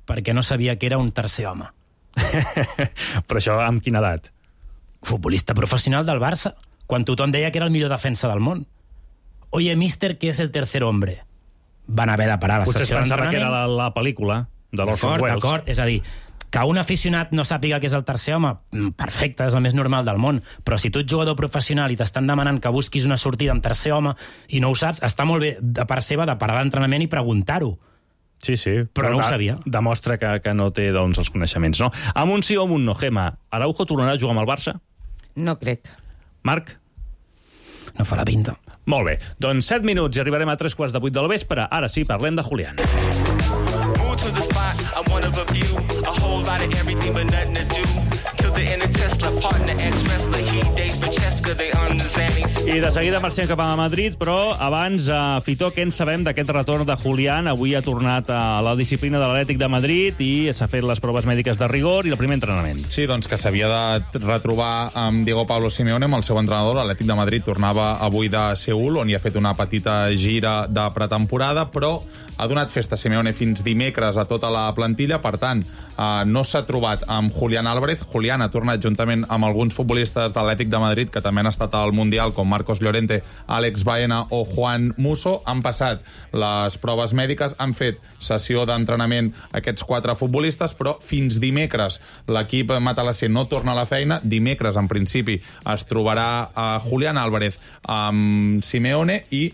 perquè no sabia que era un tercer home. Però això amb quina edat? Futbolista professional del Barça, quan tothom deia que era el millor defensa del món. Oye, mister, ¿qué es el tercer hombre? Van haver de parar la Potser sessió pensava d'entrenament. que era la, la pel·lícula de l'Orson Welles. D'acord, és a dir, que un aficionat no sàpiga què és el tercer home, perfecte, és el més normal del món, però si tu ets jugador professional i t'estan demanant que busquis una sortida amb tercer home i no ho saps, està molt bé de part seva de parar l'entrenament i preguntar-ho. Sí, sí. Però, però no ho sabia. Demostra que, que no té doncs, els coneixements, no? Amb un sí o amb un no, Gemma, Araujo tornarà a jugar amb el Barça? No crec. Marc? No fa la pinta. Molt bé. Doncs set minuts i arribarem a tres quarts de vuit del vespre. Ara sí, parlem de Julián. I de seguida marxem cap a Madrid, però abans, uh, Fitó, què en sabem d'aquest retorn de Julián? Avui ha tornat a la disciplina de l'Atlètic de Madrid i s'ha fet les proves mèdiques de rigor i el primer entrenament. Sí, doncs que s'havia de retrobar amb Diego Pablo Simeone, amb el seu entrenador. L'Atlètic de Madrid tornava avui de Seül, on hi ha fet una petita gira de pretemporada, però ha donat festa Simeone fins dimecres a tota la plantilla, per tant, eh, no s'ha trobat amb Julián Álvarez. Julián ha tornat juntament amb alguns futbolistes de l'Atlètic de Madrid que també han estat al Mundial, com Marcos Llorente, Àlex Baena o Juan Musso. Han passat les proves mèdiques, han fet sessió d'entrenament aquests quatre futbolistes, però fins dimecres l'equip matalasser no torna a la feina. Dimecres, en principi, es trobarà a Julián Álvarez amb Simeone i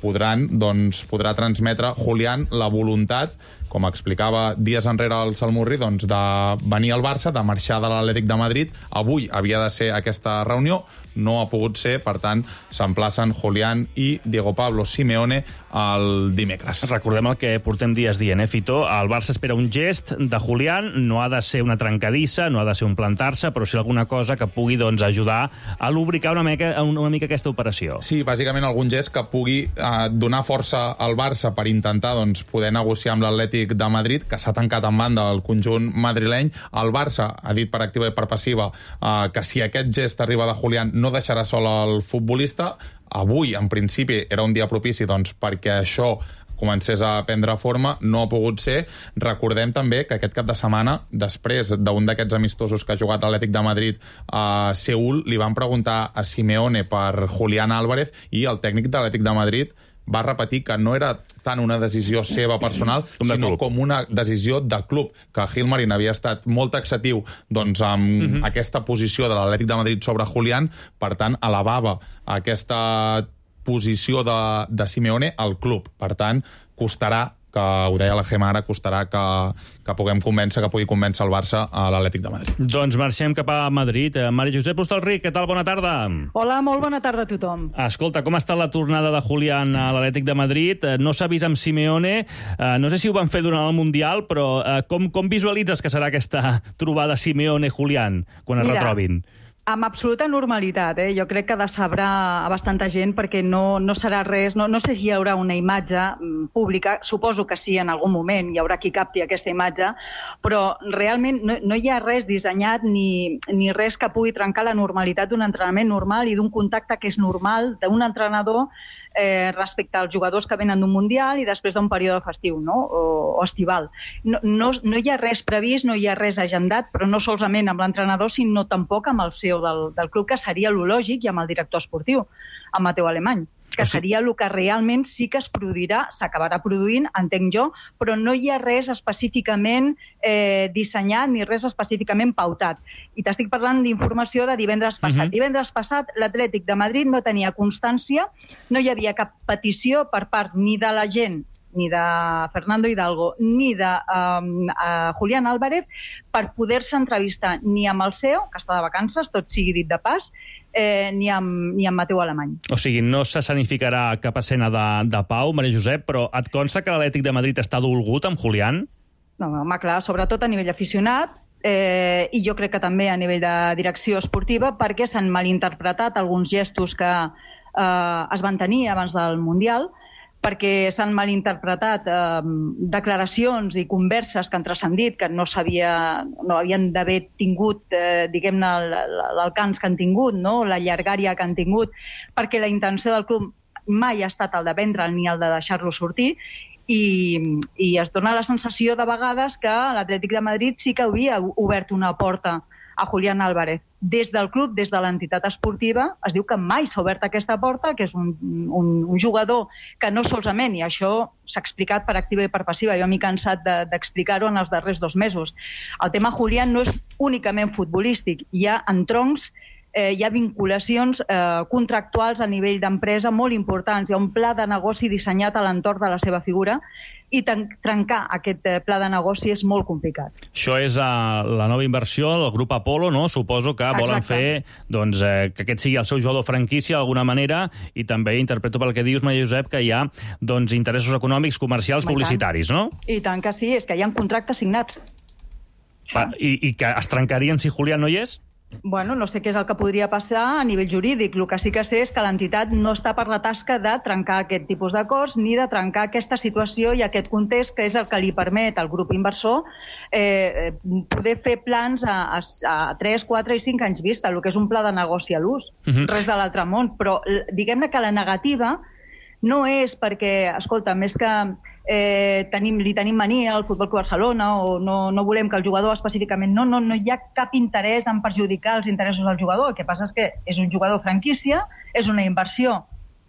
podran, doncs, podrà transmetre Julián la voluntat, com explicava dies enrere el Salmurri, doncs, de venir al Barça, de marxar de l'Atlètic de Madrid. Avui havia de ser aquesta reunió, no ha pogut ser, per tant, s'emplacen Julián i Diego Pablo Simeone el dimecres. Recordem el que portem dies dient, eh, Fitó? El Barça espera un gest de Julián, no ha de ser una trencadissa, no ha de ser un plantar-se, però sí alguna cosa que pugui, doncs, ajudar a lubricar una mica, una mica aquesta operació. Sí, bàsicament algun gest que pugui eh, donar força al Barça per intentar, doncs, poder negociar amb l'Atlètic de Madrid, que s'ha tancat en banda el conjunt madrileny. El Barça ha dit per activa i per passiva eh, que si aquest gest arriba de Julián no deixarà sol el futbolista. Avui, en principi, era un dia propici, doncs, perquè això comencés a prendre forma, no ha pogut ser. Recordem també que aquest cap de setmana, després d'un d'aquests amistosos que ha jugat l'Atlètic de Madrid a Seül, li van preguntar a Simeone per Julián Álvarez i el tècnic de l'Atlètic de Madrid va repetir que no era tant una decisió seva personal, sinó com una decisió de club, que Gilmarín havia estat molt taxatiu, doncs, amb uh -huh. aquesta posició de l'Atlètic de Madrid sobre Julián, per tant, elevava aquesta posició de, de Simeone al club. Per tant, costarà, que ho deia la Gemma ara, costarà que, que puguem convèncer, que pugui convèncer el Barça a l'Atlètic de Madrid. Doncs marxem cap a Madrid. Maria Josep Hostalric, què tal? Bona tarda. Hola, molt bona tarda a tothom. Escolta, com està la tornada de Julián a l'Atlètic de Madrid? No s'ha vist amb Simeone, no sé si ho van fer durant el Mundial, però com, com visualitzes que serà aquesta trobada Simeone-Julián quan es Mira, retrobin? Amb absoluta normalitat, eh? Jo crec que decebrà a bastanta gent perquè no, no serà res, no, no sé si hi haurà una imatge pública, suposo que sí, en algun moment hi haurà qui capti aquesta imatge, però realment no, no hi ha res dissenyat ni, ni res que pugui trencar la normalitat d'un entrenament normal i d'un contacte que és normal d'un entrenador eh, respecte als jugadors que venen d'un Mundial i després d'un període festiu, no? o, o estival. No, no, no hi ha res previst, no hi ha res agendat, però no solament amb l'entrenador, sinó tampoc amb el C E O del, del club, que seria lo lògic, i amb el director esportiu, amb Mateu Alemany, que seria el que realment sí que es produirà, s'acabarà produint, entenc jo, però no hi ha res específicament eh, dissenyat ni res específicament pautat. I t'estic parlant d'informació de divendres passat. Uh-huh. Divendres passat l'Atlètic de Madrid no tenia constància, no hi havia cap petició per part ni de la gent, ni de Fernando Hidalgo, ni de um, uh, Julián Álvarez, per poder-se entrevistar ni amb el C E O, que està de vacances, tot sigui dit de pas, eh, ni, amb, ni amb Mateu Alemany. O sigui, no s'escenificarà cap escena de, de pau, Maria Josep, però et consta que l'Atlètic de Madrid està dolgut amb Julián? No, home, clar, sobretot a nivell aficionat, eh, i jo crec que també a nivell de direcció esportiva, perquè s'han malinterpretat alguns gestos que eh, es van tenir abans del Mundial, perquè s'han malinterpretat eh, declaracions i converses que han transcendit, que no s'havia, no havien d'haver tingut, eh, diguem-ne, l'alcance que han tingut, no? La llargària que han tingut, perquè la intenció del club mai ha estat el de vendre'l ni el de deixar-lo sortir, i, i es dona la sensació de vegades que l'Atlètic de Madrid sí que havia obert una porta a Julián Álvarez. Des del club, des de l'entitat esportiva, es diu que mai s'ha obert aquesta porta, que és un, un, un jugador que no solament, i això s'ha explicat per activa i per passiva, jo m'he cansat d'explicar-ho de, en els darrers dos mesos. El tema Julián no és únicament futbolístic, hi ha entroncs, eh, hi ha vinculacions eh, contractuals a nivell d'empresa molt importants, hi ha un pla de negoci dissenyat a l'entorn de la seva figura, i trencar aquest pla de negoci és molt complicat. Això és uh, la nova inversió del grup Apolo, no? Suposo que volen Exacte. fer doncs, eh, que aquest sigui el seu jugador franquícia d'alguna manera, i també interpreto pel que dius, Maria Josep, que hi ha doncs, interessos econòmics, comercials, publicitaris, no? I tant que sí, és que hi ha contractes signats. Va, i, I que es trencarien si Julián no hi és? Bueno, no sé què és el que podria passar a nivell jurídic. El que sí que sé és que l'entitat no està per la tasca de trencar aquest tipus d'acords ni de trencar aquesta situació i aquest context que és el que li permet al grup inversor eh, poder fer plans a, a, a tres, quatre i cinc anys vista, el que és un pla de negoci a l'ús. Uh-huh. Res de l'altre món. Però diguem-ne que la negativa no és perquè, escolta, més que eh, tenim, li tenim mania al Futbol Club Barcelona o no, no volem que el jugador específicament... No, no, no hi ha cap interès en perjudicar els interessos del jugador. El que passa és que és un jugador franquícia, és una inversió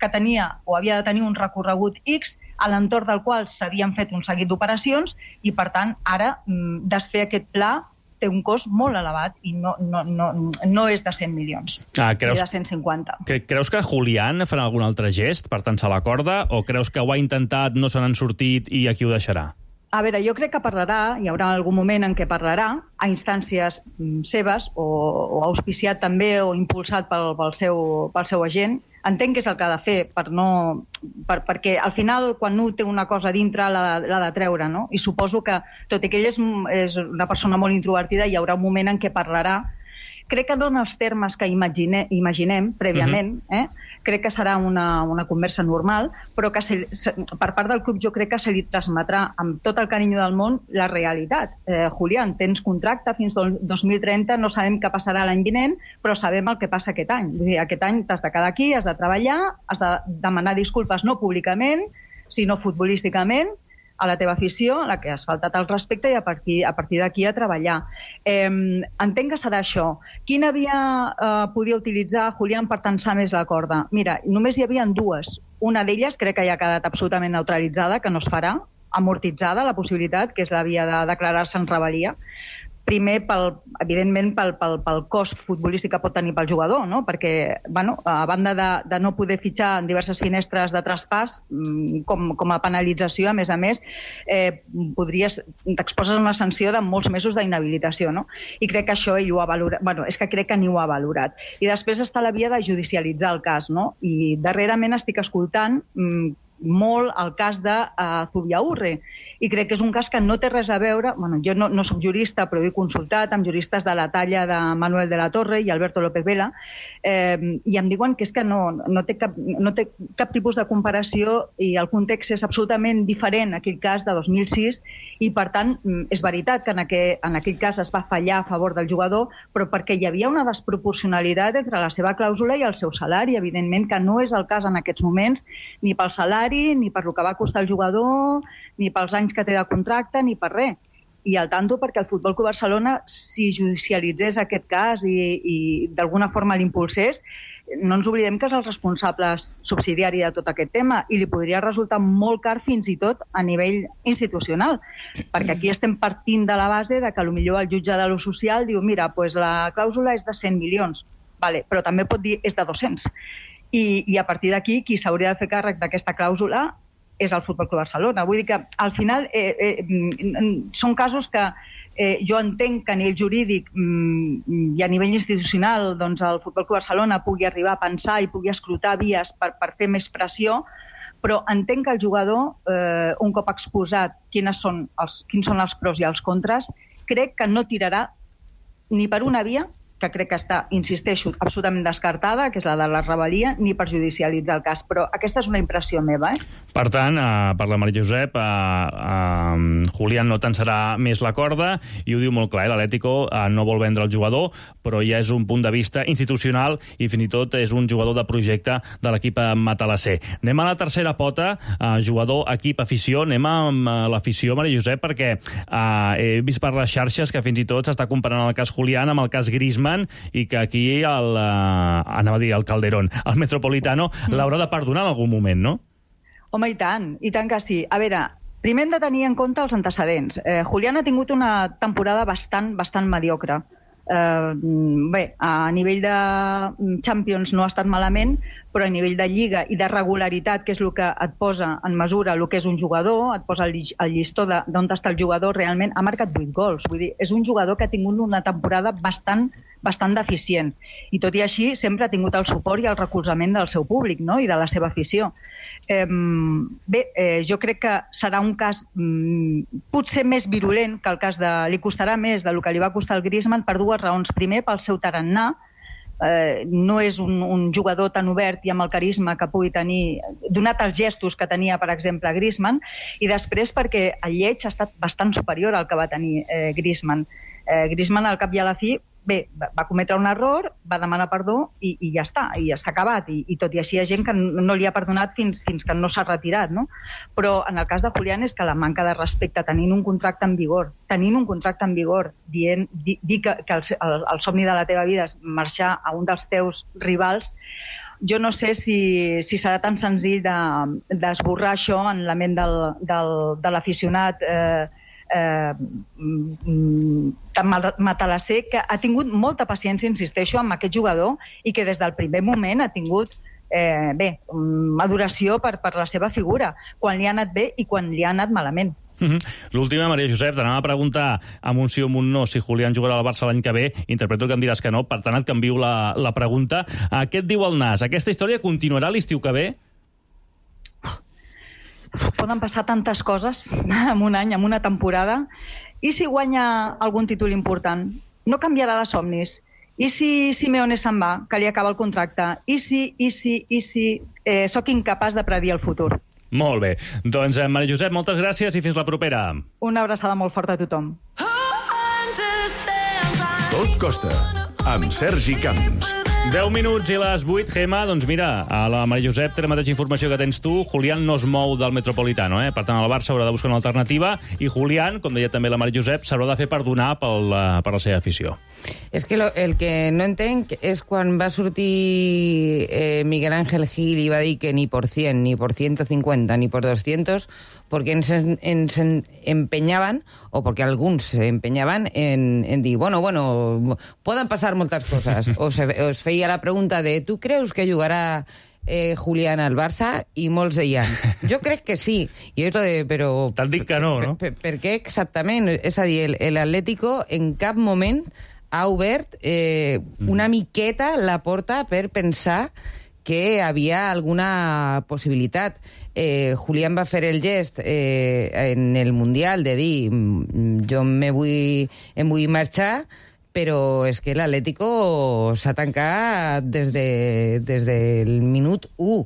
que tenia o havia de tenir un recorregut X a l'entorn del qual s'havien fet un seguit d'operacions i, per tant, ara desfer aquest pla té un cost molt elevat i no, no, no, no és de cent milions, ah, creus, ni de cent cinquanta. Creus que Julián farà algun altre gest per tensar la corda o creus que ho ha intentat, no se n'han sortit i aquí ho deixarà? A veure, jo crec que parlarà, hi haurà algun moment en què parlarà, a instàncies seves o, o auspiciat també o impulsat pel, pel, seu, pel seu agent. Entenc que és el que ha de fer, per no, per, perquè al final, quan un té una cosa dintre, l'ha de treure, no? I suposo que, tot i que ell és, és una persona molt introvertida, hi haurà un moment en què parlarà. Crec que no en els termes que imagine, imaginem prèviament, uh-huh. eh? Crec que serà una, una conversa normal, però que se, se, per part del club jo crec que se li transmetrà amb tot el carinyo del món la realitat. Eh, Julián, tens contracte fins al dos mil trenta, no sabem què passarà l'any vinent, però sabem el que passa aquest any. Vull dir, aquest any t'has de quedar aquí, has de treballar, has de demanar disculpes no públicament, sinó futbolísticament, a la teva afició, a la que has faltat el respecte i a partir, a partir d'aquí a treballar. Eh, entenc que serà això. Quina via eh, podia utilitzar Julián per tensar més la corda? Mira, només hi havia dues. Una d'elles crec que ja ha quedat absolutament neutralitzada, que no es farà, amortitzada la possibilitat, que és la via de declarar-se en rebel·lia. Primer, pel, evidentment, pel, pel, pel cost futbolístic que pot tenir pel jugador, no? Perquè, bueno, a banda de, de no poder fitxar en diverses finestres de traspàs, com, com a penalització, a més a més, eh, podries, t'exposes una sanció de molts mesos d'inhabilitació, no? I crec que això ell ho ha valorat, bueno, és que crec que ni ho ha valorat. I després està la via de judicialitzar el cas, no? I darrerament estic escoltant mm, molt el cas de uh, Zubiaurre, i crec que és un cas que no té res a veure, bueno, jo no, no soc jurista, però he consultat amb juristes de la talla de Manuel de la Torre i Alberto López Vela, eh, i em diuen que és que no, no, té cap, no té cap tipus de comparació i el context és absolutament diferent a aquell cas de dos mil sis i, per tant, és veritat que en aquell, en aquell cas es va fallar a favor del jugador, però perquè hi havia una desproporcionalitat entre la seva clàusula i el seu salari, evidentment que no és el cas en aquests moments, ni pel salari, ni per el que va costar el jugador, ni pels anys que té de contracte, ni per res. I al tanto perquè el Futbol Club Barcelona, si judicialitzés aquest cas i, i d'alguna forma l'impulsés, no ens oblidem que és el responsable subsidiari de tot aquest tema i li podria resultar molt car fins i tot a nivell institucional, perquè aquí estem partint de la base de que potser el jutge de lo social diu mira, pues la clàusula és de cent milions, vale, però també pot dir és de dos-cents. I, i a partir d'aquí qui s'hauria de fer càrrec d'aquesta clàusula és el Futbol Club Barcelona. Vull dir que al final eh, eh, són casos que eh, jo entenc que a nivell jurídic mm, i a nivell institucional doncs el Futbol Club Barcelona pugui arribar a pensar i pugui escrutar vies per, per fer més pressió, però entenc que el jugador, eh, un cop exposat quines són els, quins són els pros i els contres, crec que no tirarà ni per una via, que crec que està, insisteixo, absolutament descartada, que és la de la rebel·lia, ni per judicialitzar el cas. Però aquesta és una impressió meva, eh? Per tant, eh, per la Maria Josep, eh, eh, Julián no tensarà més la corda, i ho diu molt clar, eh? L'Atlético eh, no vol vendre el jugador, però ja és un punt de vista institucional i fins i tot és un jugador de projecte de l'equip matalasser. Anem a la tercera pota, eh, jugador, equip, afició. Anem amb eh, l'afició, Maria Josep, perquè eh, he vist per les xarxes que fins i tot s'està comparant el cas Julián amb el cas Griezmann, i que aquí el, uh, anava a dir el Calderón, el Metropolitano, mm. l'haurà de perdonar en algun moment, no? Home, i tant, i tant que sí. A veure, primer hem de tenir en compte els antecedents. Eh, Julián ha tingut una temporada bastant, bastant mediocre. Eh, bé, a nivell de Champions no ha estat malament, però a nivell de Lliga i de regularitat, que és el que et posa en mesura el que és un jugador, et posa el llistó d'on està el jugador, realment ha marcat vuit gols. Vull dir, és un jugador que ha tingut una temporada bastant bastant deficient. I tot i així sempre ha tingut el suport i el recolzament del seu públic, no? I de la seva afició. Eh, bé, eh, jo crec que serà un cas mm, potser més virulent que el cas de... Li costarà més del que li va costar el Griezmann per dues raons. Primer, pel seu tarannà. Eh, no és un, un jugador tan obert i amb el carisma que pugui tenir, donat els gestos que tenia, per exemple, Griezmann, i després perquè el lleig ha estat bastant superior al que va tenir eh, Griezmann. Eh, Griezmann, al cap i a la fi, bé, va cometre un error, va demanar perdó i, i ja està, i ja s'ha acabat. I, I tot i així hi ha gent que no li ha perdonat fins, fins que no s'ha retirat, no? Però en el cas de Julián és que la manca de respecte, tenint un contracte en vigor, tenint un contracte en vigor, dient, dir di que, que el, el, el somni de la teva vida és marxar a un dels teus rivals, jo no sé si, si serà tan senzill d'esborrar de, això en la ment del, del, de l'aficionat eh, Eh, tan matalasser, que ha tingut molta paciència, insisteixo, amb aquest jugador i que des del primer moment ha tingut eh, bé, adoració per, per la seva figura, quan li ha anat bé i quan li ha anat malament. Mm-hmm. L'última, Maria Josep, t'anava a preguntar amb un sí o amb un no si Julián jugarà al Barça l'any que ve. Interpreto que em diràs que no, per tant et canvio la, la pregunta. Què et diu el Nas? Aquesta història continuarà l'estiu que ve? Poden passar tantes coses en un any, en una temporada. I si guanya algun títol important? No canviarà de somnis. I si Simeone se'n va, que li acaba el contracte? I si, i si, i si... Eh, soc incapaç de predir el futur. Molt bé. Doncs, Maria Josep, moltes gràcies i fins la propera. Una abraçada molt forta a tothom. Tot costa, amb Sergi Camps. deu minuts i les vuit, Gemma, doncs mira, a la Maria Josep té la mateixa informació que tens tu. Julián no es mou del Metropolitano, eh? Per tant, el Barça haurà de buscar una alternativa i Julián, com deia també la Maria Josep, s'haurà de fer perdonar pel, per la seva afició. És que lo, el que no entenc és quan va sortir eh, Miguel Ángel Gil i va dir que ni por cien, ni por ciento cincuenta, ni por doscientos, porque ens, ens empeñaban, o porque alguns se empeñaban en, en dir, bueno, bueno, poden passar moltes coses. O se, os feia la pregunta de, tu creus que jugarà eh, Julián al Barça? I molts deien, jo crec que sí. I és lo de, però... T'han dit que no, no? Per, per, per què exactament? És a dir, l'Atlético en cap moment ha obert eh, una miqueta la porta per pensar que havia alguna possibilitat. Eh, Julián va fer el gest eh, en el Mundial de dir jo me vull, em vull marxar, però és que l'Atlético s'ha tancat des, de, des del minut u.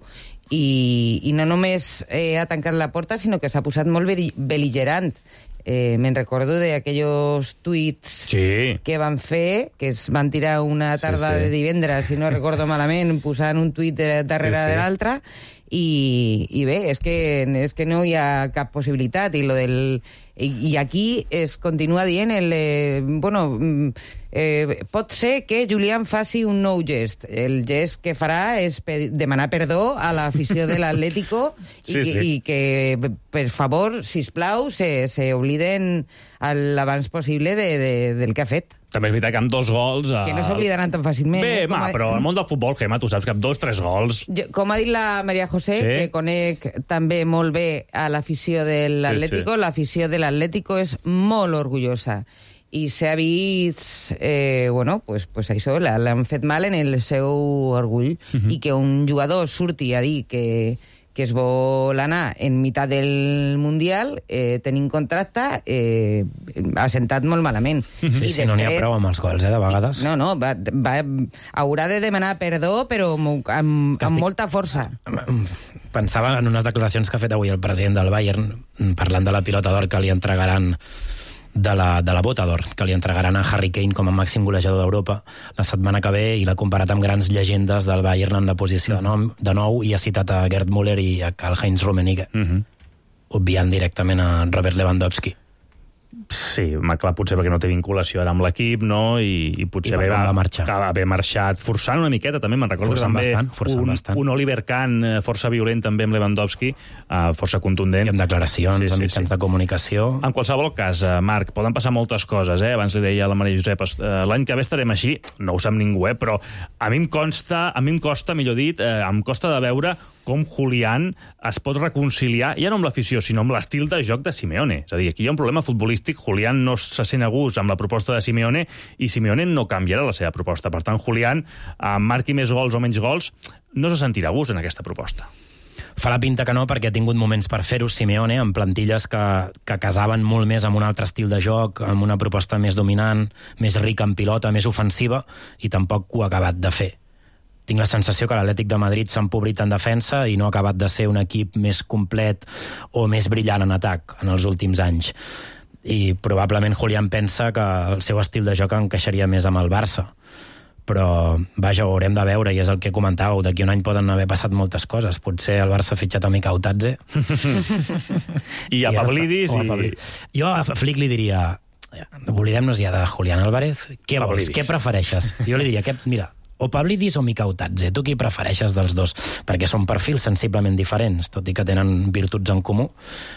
I, i no només eh, ha tancat la porta, sinó que s'ha posat molt bel·ligerant. Eh, me'n recordo d'aquells tuits sí. que van fer, que es van tirar una tarda sí, sí. de divendres, si no recordo malament, posant un tuit darrere sí, sí. de l'altre, i, i bé, és que, és que no hi ha cap possibilitat, i, lo del, i, i aquí es continua dient el, eh, bueno, eh, pot ser que Julián faci un nou gest. El gest que farà és pe- demanar perdó a l'afició de l'Atlético sí, i, sí. i que, per favor, sisplau, se, se obliden l'abans possible de, de, del que ha fet. També és veritat que amb dos gols... Que no s'oblidaran tan fàcilment. Bé, eh? ma, a... però al món del futbol, Gemma, tu saps que amb dos, tres gols... Jo, com ha dit la Maria José, sí. que conec també molt bé a l'afició de l'Atlético, sí, sí. l'afició de l'Atlético és molt orgullosa. I s'ha vist, eh, bueno, pues, pues això, l'han fet mal en el seu orgull. Uh-huh. I que un jugador surti a dir que... que es vol anar en meitat del Mundial, eh, tenint contracte, eh, ha sentat molt malament. Sí, I sí, després, no n'hi ha prou amb els gols, eh, de vegades. No, no, va, va, haurà de demanar perdó, però amb, amb, amb molta força. Pensava en unes declaracions que ha fet avui el president del Bayern, parlant de la pilota d'or que li entregaran de la, de la bota d'or, que li entregaran a Harry Kane com a màxim golejador d'Europa la setmana que ve, i l'ha comparat amb grans llegendes del Bayern en la posició de, nom, de nou, i ha citat a Gerd Müller i a Karl-Heinz Rummenigge, uh-huh. obviant directament a Robert Lewandowski. Sí, clar, potser perquè no té vinculació ara amb l'equip, no? I, i potser I va, va marxar. va haver marxat forçant una miqueta, també me'n recordo forçant també bastant, forçant un, bastant. un Oliver Kahn força violent també amb Lewandowski, uh, força contundent. I amb declaracions, sí, sí, amb mitjans sí. de comunicació. En qualsevol cas, uh, Marc, poden passar moltes coses, eh? Abans li deia a la Maria Josep, uh, l'any que ve estarem així, no ho sap ningú, eh? Però a mi em consta, a mi em costa, millor dit, uh, em costa de veure com Julián es pot reconciliar, ja no amb l'afició, sinó amb l'estil de joc de Simeone. És a dir, aquí hi ha un problema futbolístic, Julián no se sent a gust amb la proposta de Simeone i Simeone no canviarà la seva proposta. Per tant, Julián, eh, marqui més gols o menys gols, no se sentirà a gust en aquesta proposta. Fa la pinta que no, perquè ha tingut moments per fer-ho Simeone, amb plantilles que, que casaven molt més amb un altre estil de joc, amb una proposta més dominant, més rica en pilota, més ofensiva, i tampoc ho ha acabat de fer. Tinc la sensació que l'Atlètic de Madrid s'ha empobrit en defensa i no ha acabat de ser un equip més complet o més brillant en atac en els últims anys. I probablement Julián pensa que el seu estil de joc encaixaria més amb el Barça. Però, vaja, ho haurem de veure, i és el que comentàveu, d'aquí un any poden haver passat moltes coses. Potser el Barça ha fitxat a Mica Utadze. I a Pavlidis. I... I... Jo a Flick li diria, oblidem-nos ja de Julián Álvarez, què vols, què prefereixes? Jo li diria, que, mira, o Pavlidis o Mica Utadze, tu qui prefereixes dels dos? Perquè són perfils sensiblement diferents, tot i que tenen virtuts en comú,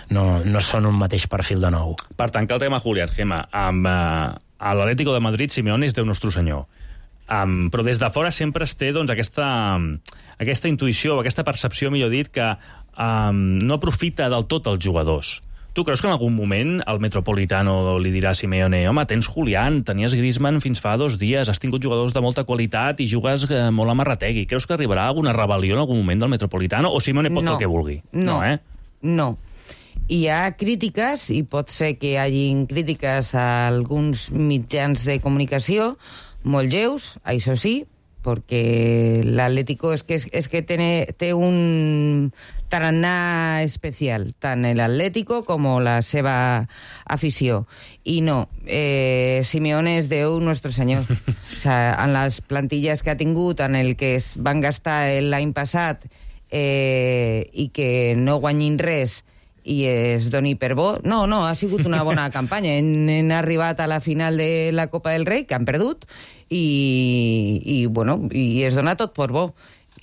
no, no són un mateix perfil de nou. Per tancar el tema Julián, Gemma, amb uh, l'Atlético de Madrid, Simeone és Déu nostre senyor. Um, però des de fora sempre es té doncs, aquesta, aquesta intuïció, aquesta percepció, millor dit, que um, no aprofita del tot els jugadors. Tu creus que en algun moment el Metropolitano li dirà a Simeone, home, tens Julián, tenies Griezmann fins fa dos dies, has tingut jugadors de molta qualitat i jugues eh, molt a Marrategui. Creus que arribarà alguna rebel·lió en algun moment del Metropolitano o Simeone pot no, fer el que vulgui? No, no, eh? no. Hi ha crítiques, i pot ser que hi hagin crítiques a alguns mitjans de comunicació, molt lleus, això sí, perquè l'Atlético és que, és que té, té un tarannà especial, tant l'Atlético com la seva afició. I no, eh, Simeone és Déu nostre senyor. O sea, en les plantilles que ha tingut, en el que es van gastar l'any passat eh, i que no guanyin res i es doni per bo. No, no, ha sigut una bona campanya. Hem, hem arribat a la final de la Copa del Rei, que han perdut, i, i, bueno, i es dona tot per bo.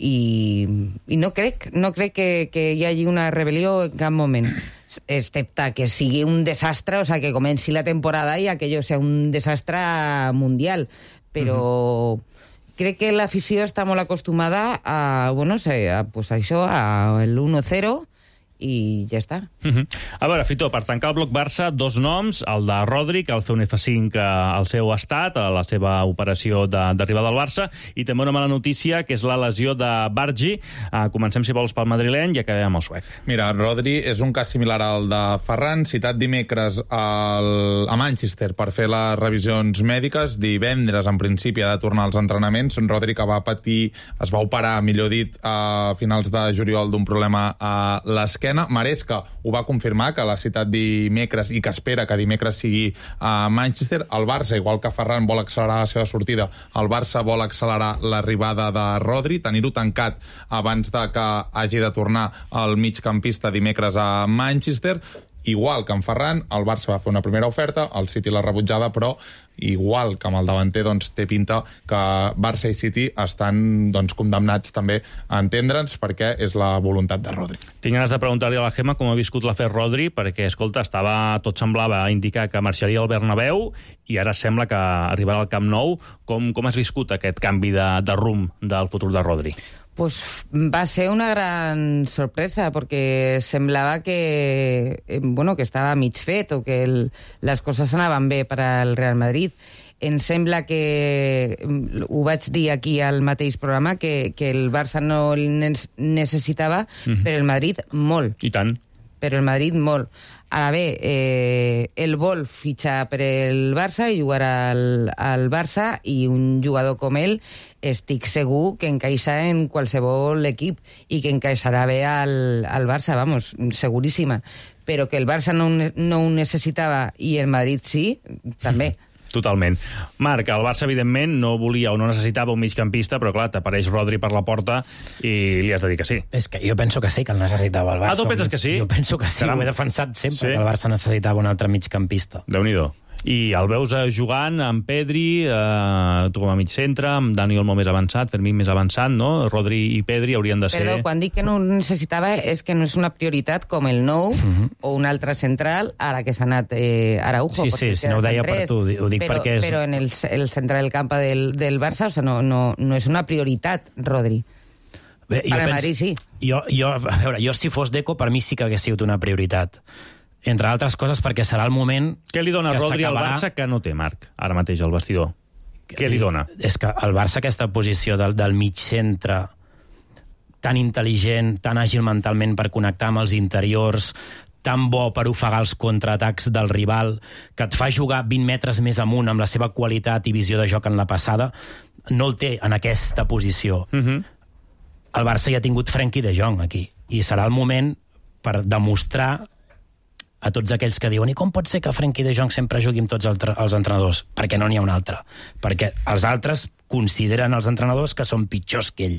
I, i no crec, no crec que, que hi hagi una rebel·lió en cap moment. Excepte que sigui un desastre, o sea, que comenci la temporada i aquello sea un desastre mundial. Però mm-hmm. crec que l'afició està molt acostumada a, bueno, a, pues a això, a l'uno cero, i ja està. Uh-huh. A veure, Fito, per tancar el bloc Barça, dos noms, el de Rodri, que al fer un F cinc al seu estat, a la seva operació d'arribar del Barça, i també una mala notícia, que és la lesió de Bargi. Uh, comencem, si vols, pel madrileny i acabem amb el suec. Mira, Rodri és un cas similar al de Ferran, citat dimecres al, a Manchester per fer les revisions mèdiques. Divendres, en principi, ha de tornar als entrenaments. Rodri, que va patir, es va operar, millor dit, a finals de juliol d'un problema a l'esquena. Maresca ho va confirmar, que la citat dimecres i que espera que dimecres sigui a Manchester. El Barça, igual que Ferran vol accelerar la seva sortida, el Barça vol accelerar l'arribada de Rodri, tenir-ho tancat abans de que hagi de tornar el migcampista dimecres a Manchester. Igual que en Ferran, el Barça va fer una primera oferta, el City l'ha rebutjada, però igual que amb el davanter, doncs, té pinta que Barça i City estan doncs, condemnats també a entendre'ns, perquè és la voluntat de Rodri. Tinc ganes de preguntar-li a la Gemma com ha viscut l'afer Rodri, perquè, escolta, estava, tot semblava indicar que marxaria al Bernabéu i ara sembla que arribarà al Camp Nou. Com, com has viscut aquest canvi de, de rumb del futur de Rodri? Pues va ser una gran sorpresa, porque semblava que, bueno, que estava mig fet o que el, les coses anaven bé per al Real Madrid. Em sembla que, ho vaig dir aquí al mateix programa, que, que el Barça no el necessitava, mm-hmm. però el Madrid molt. I tant. Però el Madrid molt. Ara bé, eh, el vol fitxar per el Barça i jugar al, al Barça, i un jugador com ell estic segur que encaixa en qualsevol equip i que encaixarà bé al, al Barça, vamos, seguríssima. Però que el Barça no, no ho necessitava i el Madrid sí, també. Totalment. Marc, el Barça, evidentment, no volia o no necessitava un migcampista, però, clar, t'apareix Rodri per la porta i li has de dir que sí. És que jo penso que sí, que el necessitava el Barça. Ah, tu penses que sí? Jo penso que sí, Caram. Ho he defensat sempre, sí? Que el Barça necessitava un altre migcampista. Déu-n'hi-do. I el veus jugant amb Pedri, eh, tu com a mig centre, amb Dani Olmo més avançat, Fermín més avançat, no? Rodri i Pedri haurien de ser... Perdó, quan dic que no ho necessitava és que no és una prioritat com el nou uh-huh. o un altre central, ara que s'ha anat eh, Araujo. Sí, sí, si no ho deia per tu, ho dic però, perquè és... Però en el, el centre del camp del, del Barça, o sea, no, no, no és una prioritat, Rodri. Bé, per al Madrid sí. Jo, jo, a veure, jo si fos Deco, per mi sí que hagués sigut una prioritat. Entre altres coses perquè serà el moment... Què li dona Rodri al Barça que no té, Marc, ara mateix al vestidor? Què li dona? És que el Barça, aquesta posició del, del mig centre, tan intel·ligent, tan àgil mentalment per connectar amb els interiors, tan bo per ofegar els contraatacs del rival, que et fa jugar vint metres més amunt amb la seva qualitat i visió de joc en la passada, no el té en aquesta posició. Uh-huh. El Barça ja ha tingut Frenkie de Jong aquí, i serà el moment per demostrar a tots aquells que diuen i com pot ser que Frenkie de Jong sempre jugui amb tots els entrenadors? Perquè no n'hi ha un altre. Perquè els altres consideren els entrenadors que són pitjors que ell.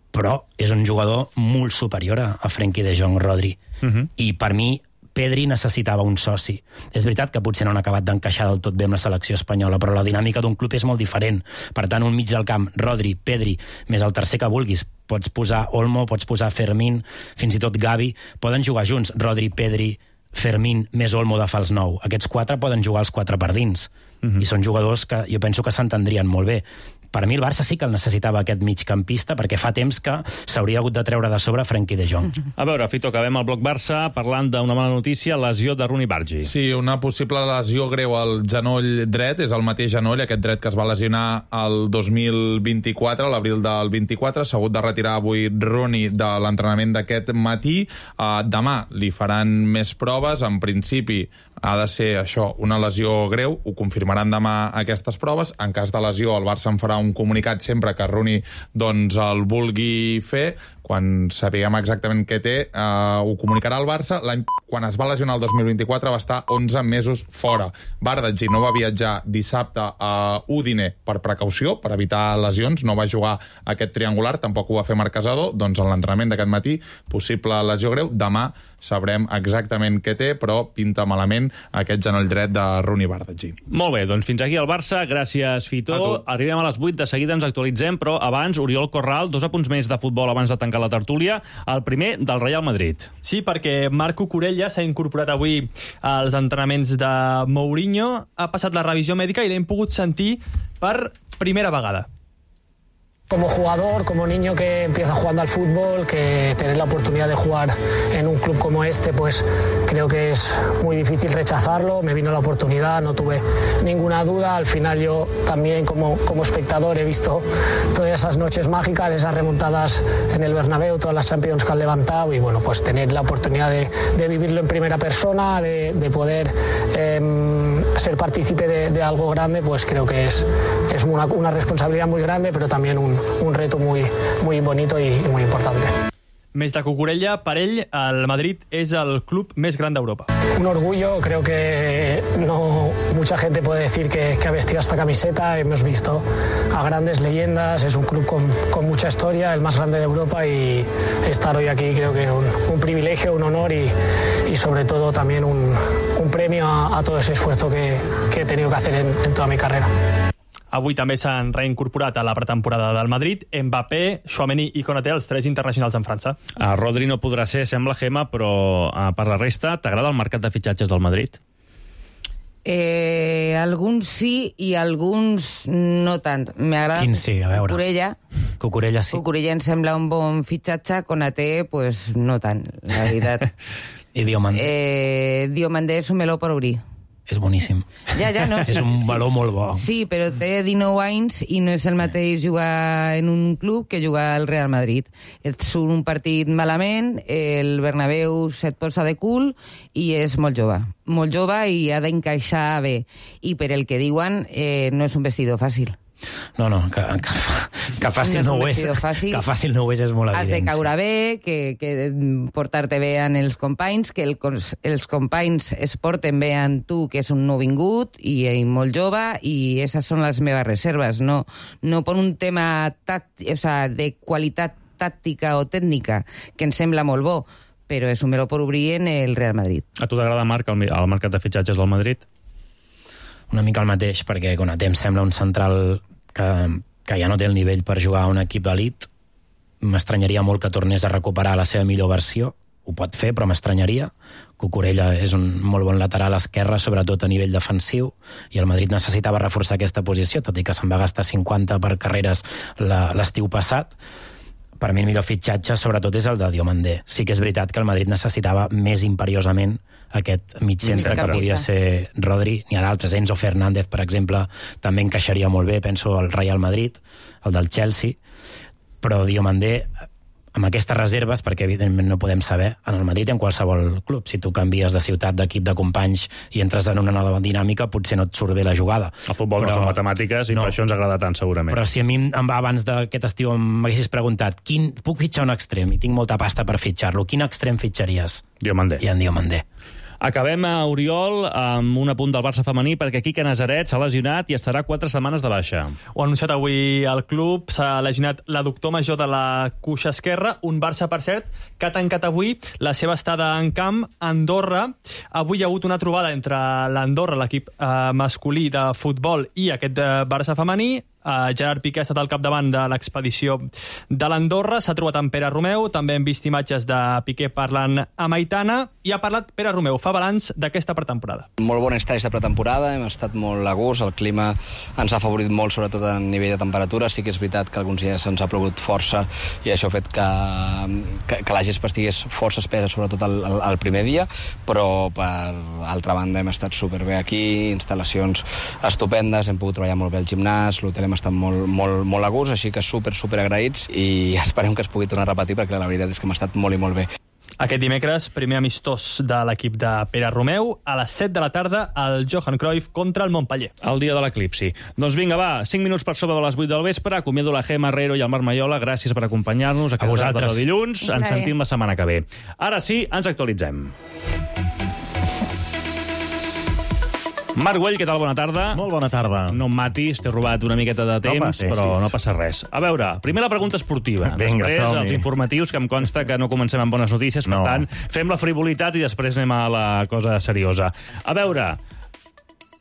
Però és un jugador molt superior a Frenkie de Jong, Rodri. Uh-huh. I per mi, Pedri necessitava un soci. És veritat que potser no han acabat d'encaixar del tot bé amb la selecció espanyola, però la dinàmica d'un club és molt diferent. Per tant, un mig del camp, Rodri, Pedri, més el tercer que vulguis. Pots posar Olmo, pots posar Fermín, fins i tot Gavi. Poden jugar junts, Rodri, Pedri, Fermín, més Olmo de fals nou. Aquests quatre poden jugar els quatre per dins. Uh-huh. I són jugadors que jo penso que s'entendrien molt bé. Per mi el Barça sí que el necessitava aquest migcampista perquè fa temps que s'hauria hagut de treure de sobre Frenkie de Jong. A veure, Fito, acabem el bloc Barça parlant d'una mala notícia, lesió de Rooney Bargi. Sí, una possible lesió greu al genoll dret, és el mateix genoll, aquest dret que es va lesionar el dos mil vint-i-quatre, a l'abril del vint-i-quatre, s'ha hagut de retirar avui Rooney de l'entrenament d'aquest matí. Uh, demà li faran més proves, en principi ha de ser això, una lesió greu, ho confirmaran demà aquestes proves. En cas de lesió, el Barça en farà un comunicat sempre que Rooney doncs, el vulgui fer. Quan sapiguem exactament què té, eh, ho comunicarà el Barça. L'any, quan es va lesionar el dos mil vint-i-quatre va estar onze mesos fora. Bardghji no va viatjar dissabte a Udine per precaució, per evitar lesions, no va jugar aquest triangular, tampoc ho va fer Marc Casado. Doncs en l'entrenament d'aquest matí, possible lesió greu. Demà sabrem exactament què té, però pinta malament aquest genoll dret de Rooney Bardghji. Molt bé, doncs fins aquí el Barça. Gràcies, Fito. Arribem a les vuit, de seguida ens actualitzem, però abans, Oriol Corral, dos apunts més de futbol abans de tancar la tertúlia. El primer, del Real Madrid. Sí, perquè Marc Cucurella s'ha incorporat avui als entrenaments de Mourinho, ha passat la revisió mèdica i l'hem pogut sentir per primera vegada. Como jugador, como niño que empieza jugando al fútbol, que tener la oportunidad de jugar en un club como este, pues creo que es muy difícil rechazarlo. Me vino la oportunidad, no tuve ninguna duda. Al final yo también como, como espectador he visto todas esas noches mágicas, esas remontadas en el Bernabéu, todas las Champions que han levantado y bueno, pues tener la oportunidad de, de vivirlo en primera persona, de, de poder eh, ser partícipe de, de algo grande, pues creo que es, es una, una responsabilidad muy grande, pero también un un reto muy, muy bonito y, y muy importante. Més de Cucurella, per ell, el Madrid és el club més gran d'Europa. Un orgullo, creo que no mucha gente puede decir que, que ha vestido esta camiseta. Hemos visto a grandes leyendas, es un club con, con mucha historia, el más grande de Europa, y estar hoy aquí creo que es un, un privilegio, un honor y, y sobre todo también un, un premio a, a todo ese esfuerzo que, que he tenido que hacer en, en toda mi carrera. Avui també s'han reincorporat a la pretemporada del Madrid Mbappé, Tchouaméni i Konaté, els tres internacionals en França. Uh, Rodri no podrà ser, sembla, Gemma, però uh, per la resta, t'agrada el mercat de fitxatges del Madrid? Eh, alguns sí i alguns no tant. M'agrada Quin sí? A veure. Cucurella. Cucurella sí. Cucurella em sembla un bon fitxatge, Konaté, pues no tant, la veritat. I Diomandé? Eh, Diomandé és un meló per obrir. És boníssim. Ja, ja, no. És un valor sí, molt bo. Sí, però té dinou anys i no és el mateix jugar en un club que jugar al Real Madrid. Et surt un partit malament, el Bernabéu se't posa de cul i és molt jove. Molt jove i ha d'encaixar bé. I per el que diuen, eh, no és un vestidor fàcil. No, no, que, que, que fàcil no, no ho és. Fàcil. Que fàcil no ho és, és molt evident. Has de caure bé, que, que portar-te bé en els companys, que el, els companys es porten bé en tu, que és un nouvingut i, i molt jove, i esas són les meves reserves. No, no per un tema tàctic, o sea, de qualitat tàctica o tècnica, que em sembla molt bo, però és un meló per obrir en el Real Madrid. A tu t'agrada, Marc, el, el mercat de fitxatges del Madrid? Una mica el mateix, perquè Konaté em sembla un central que, que ja no té el nivell per jugar a un equip d'elit. M'estranyaria molt que tornés a recuperar la seva millor versió. Ho pot fer, però m'estranyaria. Cucurella és un molt bon lateral esquerre, sobretot a nivell defensiu, i el Madrid necessitava reforçar aquesta posició, tot i que se'n va gastar cinquanta per carreres l'estiu passat. Per mi el millor fitxatge, sobretot, és el de Diomandé. Sí que és veritat que el Madrid necessitava més imperiosament aquest mig centre que podia ser Rodri. N'hi ha d'altres, Enzo Fernández, per exemple, també encaixaria molt bé, penso, al Real Madrid, el del Chelsea, però Diomandé, amb aquestes reserves, perquè evidentment no podem saber, en el Madrid i en qualsevol club, si tu canvies de ciutat, d'equip, de companys i entres en una nova dinàmica, potser no et surt bé la jugada. El futbol però, no són matemàtiques i no. Per això ens agrada tant, segurament. Però si a mi abans d'aquest estiu m'haguessis preguntat quin, puc fitxar un extrem i tinc molta pasta per fitxar-lo, quin extrem fitxaries? Diomandé. I en Diomandé. Acabem a Oriol amb un apunt del Barça femení perquè Quique Nazaret s'ha lesionat i estarà quatre setmanes de baixa. Ho ha anunciat avui el club, s'ha lesionat l'adductor major de la cuixa esquerra, un Barça, per cert, que ha tancat avui la seva estada en camp a Andorra. Avui hi ha hagut una trobada entre l'Andorra, l'equip eh, masculí de futbol, i aquest eh, Barça femení. Uh, Gerard Piqué ha estat al capdavant de l'expedició de l'Andorra, s'ha trobat amb Pere Romeu, també hem vist imatges de Piqué parlant amb Aitana, i ha parlat Pere Romeu, fa balanç d'aquesta pretemporada. Molt bon estat aquesta pretemporada, hem estat molt a gust, el clima ens ha afavorit molt, sobretot a nivell de temperatura, sí que és veritat que alguns dies ens ha plogut força i això ha fet que, que, que la gespa estigués força espesa, sobretot el, el, el primer dia, però per altra banda hem estat superbé aquí, instal·lacions estupendes, hem pogut treballar molt bé al gimnàs, l'hotel hem estat molt, molt, molt a gust, així que super, super agraïts i esperem que es pugui tornar a repetir perquè la veritat és que hem estat molt i molt bé. Aquest dimecres, primer amistós de l'equip de Pere Romeu, a les set de la tarda, el Johan Cruyff contra el Montpeller. El dia de l'eclipsi. Doncs vinga, va, cinc minuts per sobre de les vuit del vespre, acomiado la Gemma Herrero i el Marc Maiola, gràcies per acompanyar-nos a vosaltres. De dilluns, ens sentim la setmana que ve. Ara sí, ens actualitzem. Marc Güell, què tal? Bona tarda. Molt bona tarda. No em matis, t'he robat una miqueta de temps, no però no passa res. A veure, primer la pregunta esportiva. Vinga, després els informatius, que em consta que no comencem amb bones notícies, per no. tant, fem la frivolitat i després anem a la cosa seriosa. A veure,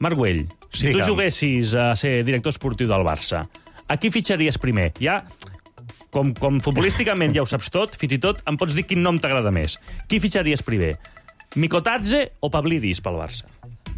Marc Güell, si Digue'm. tu juguessis a ser director esportiu del Barça, a qui fitxaries primer? Ja, com, com futbolísticament ja ho saps tot, fins i tot em pots dir quin nom t'agrada més. Qui fitxaries primer? Mikotadze o Pavlidis pel Barça?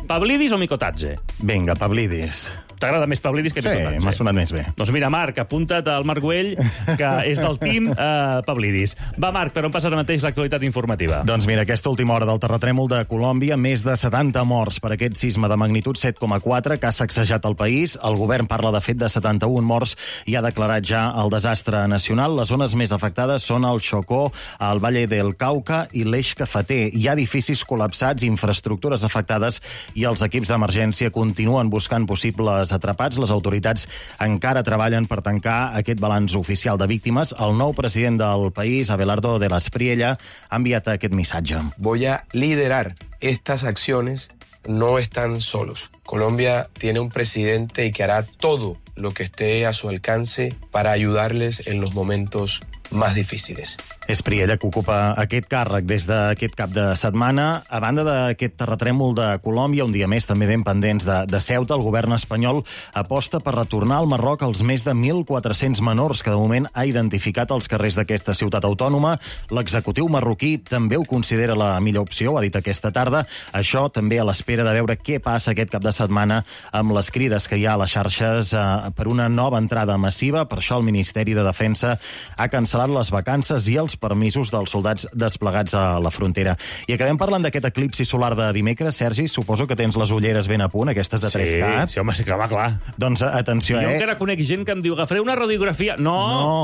Pavlidis o Mikotadze? Vinga, Pavlidis. T'agrada més Pavlidis que Mikotadze? Sí, m'ha sonat més bé. Doncs mira, Marc, apunta't al Marc Güell, que és del team eh, Pavlidis. Va, Marc, per on passa ara mateix l'actualitat informativa? Doncs mira, aquesta última hora del terratrèmol de Colòmbia, més de setanta morts per aquest sisme de magnitud set coma quatre que ha sacsejat el país. El govern parla, de fet, de setanta-un morts i ha declarat ja el desastre nacional. Les zones més afectades són el Chocó, el Valle del Cauca i l'Eix Cafeter. Hi ha edificis col·lapsats, infraestructures afectades i els equips d'emergència continuen buscant possibles atrapats. Les autoritats encara treballen per tancar aquest balanç oficial de víctimes. El nou president del país, Abelardo de la Espriella, ha enviat aquest missatge. Voy a liderar estas acciones, no están solos. Colombia tiene un presidente y que hará todo lo que esté a su alcance para ayudarles en los momentos más difíciles. És Priella que ocupa aquest càrrec des d'aquest cap de setmana. A banda d'aquest terratrèmol de Colòmbia, un dia més també ben pendents de, de Ceuta, el govern espanyol aposta per retornar al Marroc els més de mil quatre-cents menors que de moment ha identificat als carrers d'aquesta ciutat autònoma. L'executiu marroquí també ho considera la millor opció, ho ha dit aquesta tarda. Això també a l'espera de veure què passa aquest cap de setmana amb les crides que hi ha a les xarxes eh, per una nova entrada massiva. Per això el Ministeri de Defensa ha cancel·lat les vacances i els permisos dels soldats desplegats a la frontera. I acabem parlant d'aquest eclipsi solar de dimecres. Sergi, suposo que tens les ulleres ben a punt, aquestes de tres K. Sí, sí, home, sí que va, clar. Doncs atenció, jo eh? Jo encara conec gent que em diu, agafaré una radiografia. No,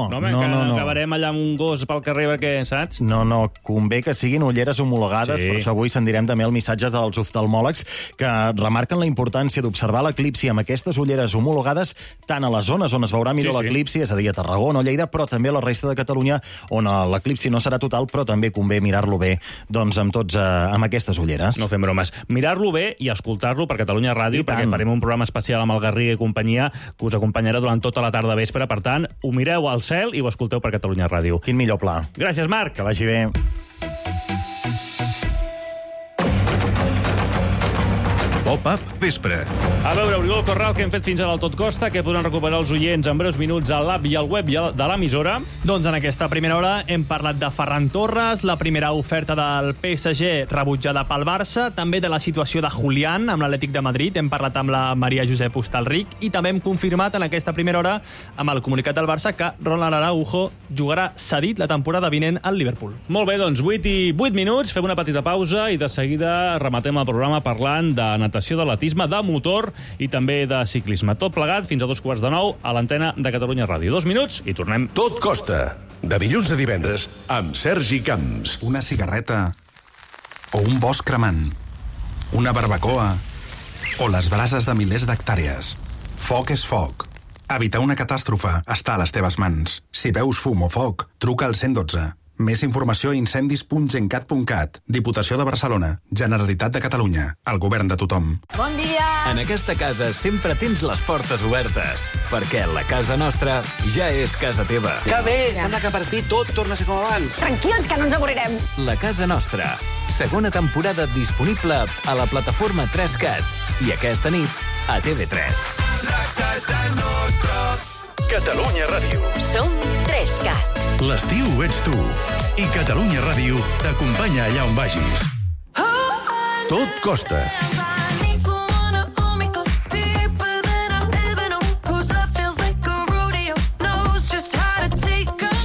no, no, no, no, no. Acabarem allà amb un gos pel carrer perquè, saps? No, no, convé que siguin ulleres homologades, sí. Per això avui sendirem també el missatge dels oftalmòlegs que remarquen la importància d'observar l'eclipsi amb aquestes ulleres homologades tant a les zones on es veurà millor sí, sí. l'eclipsi, és a dir, a Tarragona o Lleida, però també a la resta de Catalunya, on l'eclipsi no serà total, però també convé mirar-lo bé, doncs amb tots, eh, amb aquestes ulleres. No fem bromes. Mirar-lo bé i escoltar-lo per Catalunya Ràdio, perquè farem un programa especial amb el Garriga i companyia que us acompanyarà durant tota la tarda vespre. Per tant, ho mireu al cel i ho escolteu per Catalunya Ràdio. Quin millor pla. Gràcies, Marc. Que vagi bé. Pop-up vespre. A veure, Oriol Corral, què hem fet fins ara al Tot Costa, que podran recuperar els oients en breus minuts a l'app i al web de l'emissora. Doncs en aquesta primera hora hem parlat de Ferran Torres, la primera oferta del P S G rebutjada pel Barça, també de la situació de Julián amb l'Atlètic de Madrid, hem parlat amb la Maria Josep Hostalric i també hem confirmat en aquesta primera hora amb el comunicat del Barça que Ronald Araujo jugarà cedit la temporada vinent al Liverpool. Molt bé, doncs vuit i vuit minuts, fem una petita pausa i de seguida rematem el programa parlant de natació, d'atletisme, de motor i també de ciclisme. Tot plegat fins a dos quarts de nou a l'antena de Catalunya Ràdio. Dos minuts i tornem. Tot costa. De dilluns a divendres amb Sergi Camps. Una cigarreta o un bosc cremant. Una barbacoa o les brases de milers d'hectàrees. Foc és foc. Evitar una catàstrofe està a les teves mans. Si veus fum o foc, truca al cent dotze. Més informació a incendis punt gencat punt cat. Diputació de Barcelona. Generalitat de Catalunya. El govern de tothom. Bon dia! En aquesta casa sempre tens les portes obertes, perquè la casa nostra ja és casa teva. Que bé! Sembla que per fi tot torna a ser com abans. Tranquils, que no ens avorrirem. La casa nostra. Segona temporada disponible a la plataforma tres cat. I aquesta nit a T V tres. La casa nostra. Catalunya Ràdio. Som tres cat. L'estiu ets tu. I Catalunya Ràdio t'acompanya allà on vagis. Tot costa.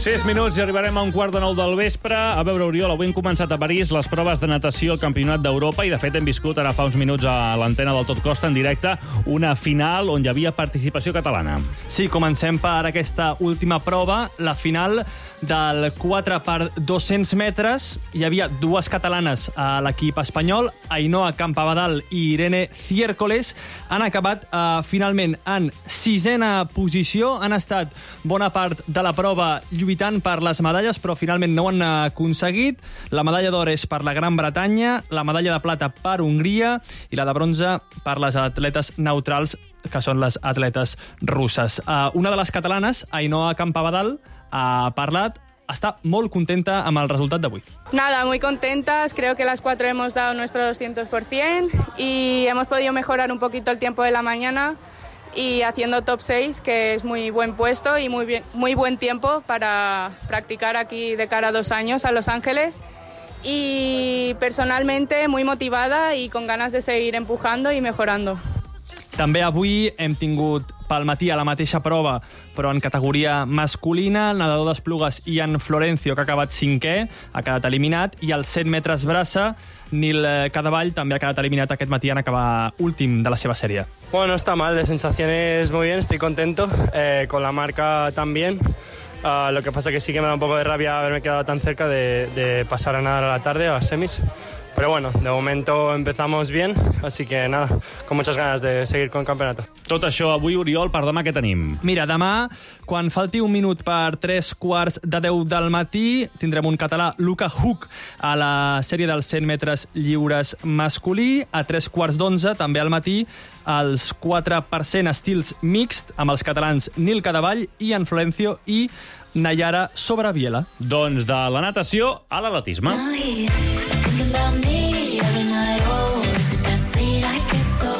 Sis minuts i arribarem a un quart de nou del vespre. A veure, Oriol, avui hem començat a París les proves de natació al Campionat d'Europa i, de fet, hem viscut ara fa uns minuts a l'antena del Tot Costa en directe una final on hi havia participació catalana. Sí, comencem per aquesta última prova, la final del quatre per dos-cents metres. Hi havia dues catalanes a l'equip espanyol, Ainhoa Campabadal i Irene Ciércoles. Han acabat eh, finalment en sisena posició. Han estat bona part de la prova lluitant per les medalles, però finalment no ho han aconseguit. La medalla d'or és per la Gran Bretanya, la medalla de plata per Hongria i la de bronze per les atletes neutrals, que són les atletes russes. Uh, una de les catalanes, Ainhoa Campabadal, ha parlat, està molt contenta amb el resultat d'avui. Nada, muy contentas. Creo que las cuatro hemos dado nuestro doscientos por ciento y hemos podido mejorar un poquito el tiempo de la mañana y haciendo top seis, que es muy buen puesto y muy, bien, muy buen tiempo para practicar aquí de cara a dos años a Los Ángeles. Y personalmente muy motivada y con ganas de seguir empujando y mejorando. També avui hem tingut pel matí a la mateixa prova, però en categoria masculina, el nedador d'esplugues Ian Florencio, que ha acabat cinquè, ha quedat eliminat, i als cent metres braça, Nil Cadavall també ha quedat eliminat aquest matí en acabar últim de la seva sèrie. Bueno, no está mal, de sensaciones muy bien, estoy contento, eh, con la marca también. Uh, lo que pasa que sí que me da un poco de rabia haberme quedado tan cerca de, de pasar a nadar a la tarde, a las semis. Pero bueno, de momento empezamos bien, así que nada, con muchas ganas de seguir con el campeonato. Tot això avui, Oriol, per demà què tenim? Mira, demà, quan falti un minut per tres quarts de deu del matí, tindrem un català, Luca Huck, a la sèrie dels cent metres lliures masculí. A tres quarts d'onze, també al matí, els quatre per cent estils mixt, amb els catalans Nil Cadavall, Ian Florencio i Nayara Sobraviela. Doncs de la natació a l'atletisme. About me every night, oh, is it that sweet I get so,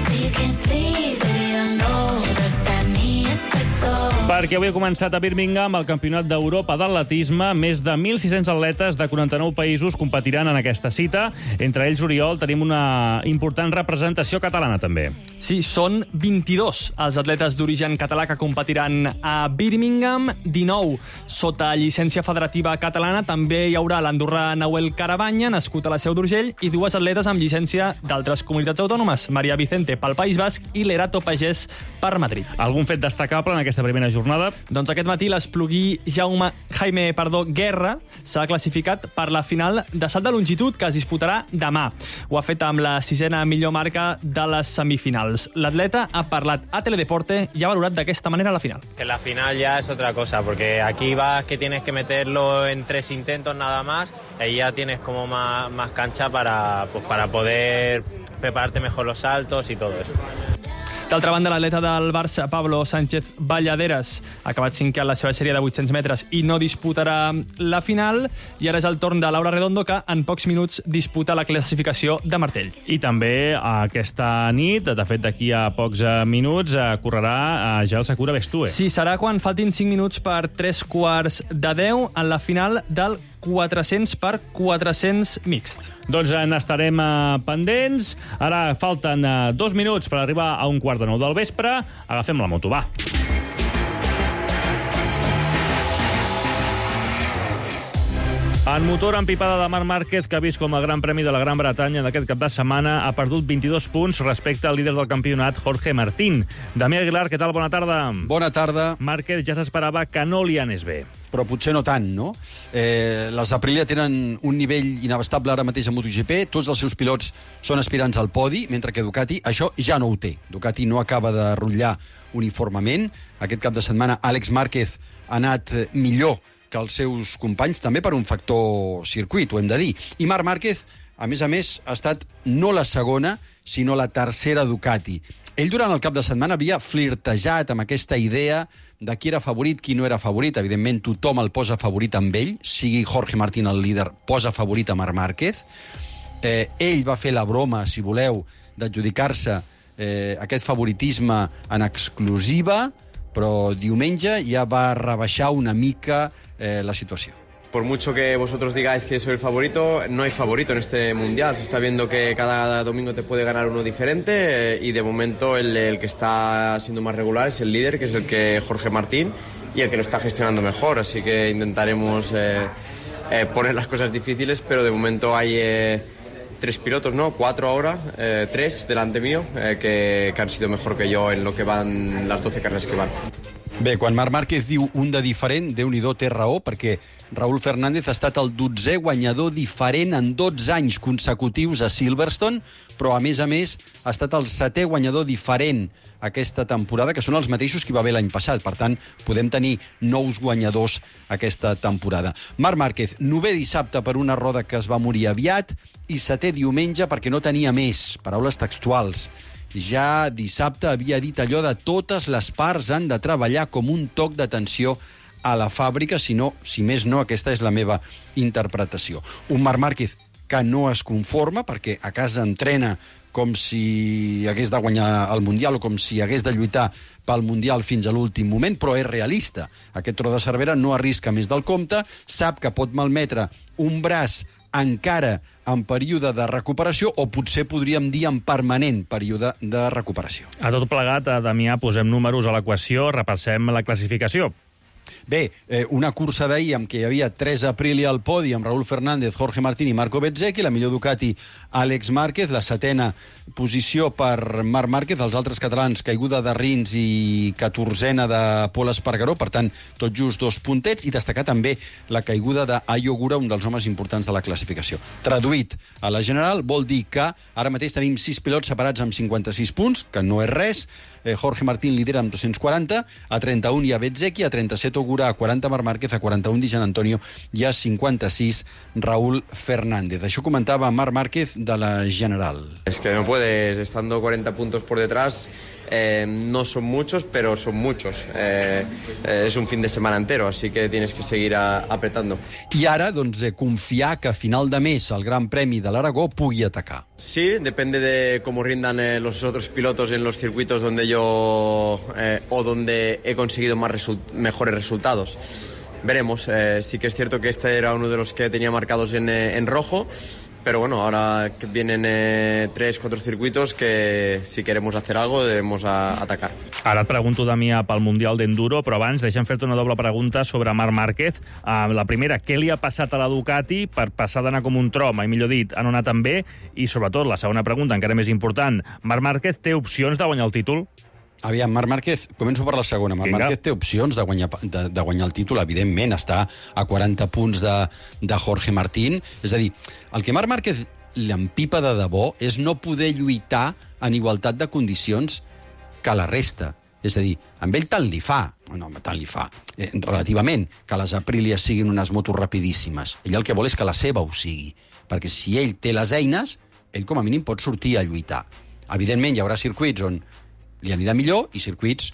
so you can sleep, baby, I know, does that mean it's the soul? Perquè avui ha començat a Birmingham el Campionat d'Europa d'atletisme. Més de mil sis-cents atletes de quaranta-nou països competiran en aquesta cita. Entre ells, Oriol, tenim una important representació catalana, també. Sí, són vint-i-dos els atletes d'origen català que competiran a Birmingham, dinou sota llicència federativa catalana. També hi haurà l'andorrà Nahuel Carabanya, nascut a la Seu d'Urgell, i dues atletes amb llicència d'altres comunitats autònomes, Maria Vicente pel País Basc i Lerato Pagès per Madrid. Algun fet destacable en aquesta primera jornada? Doncs aquest matí l'esplugui Jaume Jaime perdó, Guerra s'ha classificat per la final de salt de longitud que es disputarà demà. Ho ha fet amb la sisena millor marca de les semifinals. L'atleta ha parlat a Teledeporte i ha valorat d'aquesta manera la final. Que la final ya es otra cosa, porque aquí vas que tienes que meterlo en tres intentos nada más, y ya tienes como más, más cancha para, pues, para poder prepararte mejor los saltos y todo eso. D'altra banda, l'atleta del Barça, Pablo Sánchez Balladeres, ha acabat cinquè en la seva sèrie de vuit-cents metres i no disputarà la final. I ara és el torn de Laura Redondo, que en pocs minuts disputa la classificació de martell. I també aquesta nit, de fet d'aquí a pocs minuts, correrà ja el Sakura Bestue. Sí, serà quan faltin cinc minuts per tres quarts de deu en la final del quatre-cents per quatre-cents mixt. Doncs n'estarem pendents. Ara falten dos minuts per arribar a un quart de nou del vespre. Agafem la moto, va. En motor, empipada de Marc Márquez, que ha vist com el Gran Premi de la Gran Bretanya d'aquest cap de setmana ha perdut vint-i-dos punts respecte al líder del campionat, Jorge Martín. Damià Aguilar, què tal? Bona tarda. Bona tarda. Márquez ja s'esperava que no li anés bé. Però potser no tant, no? Eh, les Aprilia tenen un nivell inabastable ara mateix a MotoGP, tots els seus pilots són aspirants al podi, mentre que Ducati això ja no ho té. Ducati no acaba de rotllar uniformement. Aquest cap de setmana Àlex Márquez ha anat millor que els seus companys, també per un factor circuit, ho hem de dir. I Marc Márquez, a més a més, ha estat no la segona, sinó la tercera Ducati. Ell, durant el cap de setmana, havia flirtejat amb aquesta idea de qui era favorit, qui no era favorit. Evidentment, tothom el posa favorit amb ell, sigui Jorge Martín el líder, posa favorit a Marc Márquez. Eh, ell va fer la broma, si voleu, d'adjudicar-se eh, aquest favoritisme en exclusiva, però diumenge ja va rebaixar una mica eh, la situació. Por mucho que vosotros digáis que soy el favorito, no hay favorito en este Mundial. Se está viendo que cada domingo te puede ganar uno diferente eh, y de momento el, el que está siendo más regular es el líder, que es el que Jorge Martín, y el que lo está gestionando mejor. Así que intentaremos eh, eh, poner las cosas difíciles, pero de momento hay eh, tres pilotos, ¿no? Cuatro ahora, eh, tres delante mío, eh, que, que han sido mejor que yo en lo que van las doce carreras que van. Bé, quan Marc Márquez diu un de diferent, Déu-n'hi-do, té raó, perquè Raúl Fernández ha estat el dotzè guanyador diferent en dotze anys consecutius a Silverstone, però, a més a més, ha estat el setè guanyador diferent aquesta temporada, que són els mateixos que hi va haver l'any passat. Per tant, podem tenir nous guanyadors aquesta temporada. Marc Márquez, novè dissabte per una roda que es va morir aviat, i setè diumenge perquè no tenia més. Paraules textuals. Ja dissabte havia dit allò de totes les parts han de treballar com un toc d'atenció a la fàbrica, si no, si més no, aquesta és la meva interpretació. Un Marc Márquez que no es conforma, perquè a casa entrena com si hagués de guanyar el Mundial o com si hagués de lluitar pel Mundial fins a l'últim moment, però és realista. Aquest Tro de Cervera no arrisca més del compte, sap que pot malmetre un braç encara en període de recuperació, o potser podríem dir en permanent període de recuperació. A tot plegat, Damià, posem números a l'equació, repassem la classificació. Bé, eh, una cursa d'ahir amb què hi havia tres Aprilia al podi, amb Raúl Fernández, Jorge Martín i Marco Bezzecchi, la millor Ducati, Àlex Márquez, la setena posició per Marc Márquez, els altres catalans, caiguda de Rins i catorzena de Pol Espargaró, per tant, tot just dos puntets, i destacar també la caiguda d'Ayo Gura, un dels homes importants de la classificació. Traduït a la general, vol dir que ara mateix tenim sis pilots separats amb cinquanta-sis punts, que no és res. eh, Jorge Martín lidera amb dos-cents quaranta, a trenta-un hi ha Bezzecchi, a trenta-set Ogura, a quaranta Marc Márquez, a quaranta-un Di Gianantonio i a cinquanta-sis Raúl Fernández. Això comentava Marc Márquez de la general. Es que no puedes, estando cuarenta puntos por detrás, eh, no son muchos, pero son muchos. Eh, eh, es un fin de semana entero, así que tienes que seguir a, apretando. I ara, doncs, eh, confiar que a final de mes el Gran Premi de l'Aragó pugui atacar. Sí, depende de cómo rindan eh, los otros pilotos en los circuitos donde yo eh, o donde he conseguido más resu- mejores resultados. Veremos, eh, sí que es cierto que este era uno de los que tenía marcados en, eh, en rojo, pero bueno, ahora que vienen eh, tres, cuatro circuitos que si queremos hacer algo debemos a, atacar. Ara et pregunto, Damià, pel Mundial d'Enduro, però abans deixa'm fer-te una doble pregunta sobre Marc Márquez. Uh, la primera, què li ha passat a la Ducati per passar d'anar com un tro, mai millor dit, a no anar tan bé? I sobretot, la segona pregunta, encara més important, Marc Márquez té opcions de guanyar el títol? Aviam, Marc Márquez, començo per la segona. Marc Vinga. Márquez té opcions de guanyar, de, de guanyar el títol, evidentment, està a quaranta punts de, de Jorge Martín. És a dir, el que Marc Márquez l'empipa de debò és no poder lluitar en igualtat de condicions que la resta. És a dir, amb ell tant li fa, no, tant li fa, eh, relativament, que les Aprilia siguin unes motos rapidíssimes. Ell el que vol és que la seva ho sigui, perquè si ell té les eines, ell com a mínim pot sortir a lluitar. Evidentment, hi haurà circuits on li anirà millor i circuits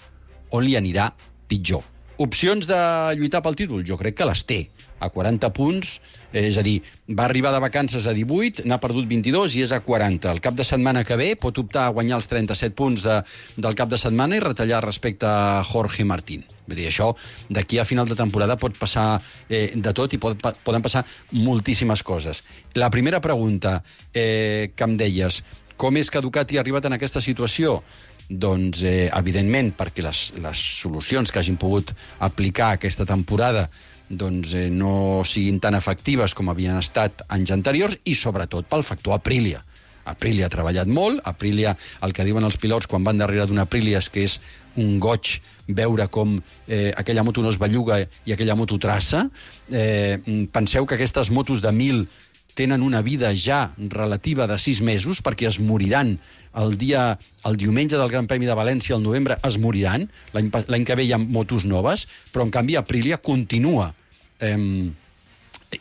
on li anirà pitjor. Opcions de lluitar pel títol? Jo crec que les té. A quaranta punts, és a dir, va arribar de vacances a divuit, n'ha perdut vint-i-dos i és a quaranta. El cap de setmana que ve pot optar a guanyar els trenta-set punts de, del cap de setmana i retallar respecte a Jorge Martín. Vull dir, això d'aquí a final de temporada pot passar eh, de tot i pot, poden passar moltíssimes coses. La primera pregunta eh, que em deies, com és que Ducati ha arribat en aquesta situació? Doncs, eh, evidentment, perquè les, les solucions que hagin pogut aplicar aquesta temporada doncs, eh, no siguin tan efectives com havien estat anys anteriors i, sobretot, pel factor Aprilia. Aprilia ha treballat molt, Aprilia, el que diuen els pilots quan van darrere d'una Aprilia és que és un goig veure com eh, aquella moto no es belluga i aquella moto traça. Eh, penseu que aquestes motos de mil tenen una vida ja relativa de sis mesos, perquè es moriran el dia, el diumenge del Gran Premi de València, al novembre, es moriran. L'any que ve hi ha motos noves, però en canvi Aprilia continua eh,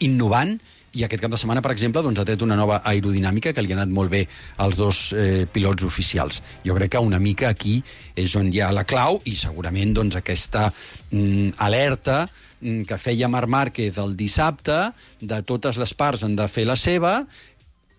innovant, i aquest cap de setmana, per exemple, doncs, ha tret una nova aerodinàmica que li ha anat molt bé als dos eh, pilots oficials. Jo crec que una mica aquí és on hi ha la clau, i segurament doncs, aquesta mm, alerta que feia Marc Márquez el dissabte, de totes les parts han de fer la seva,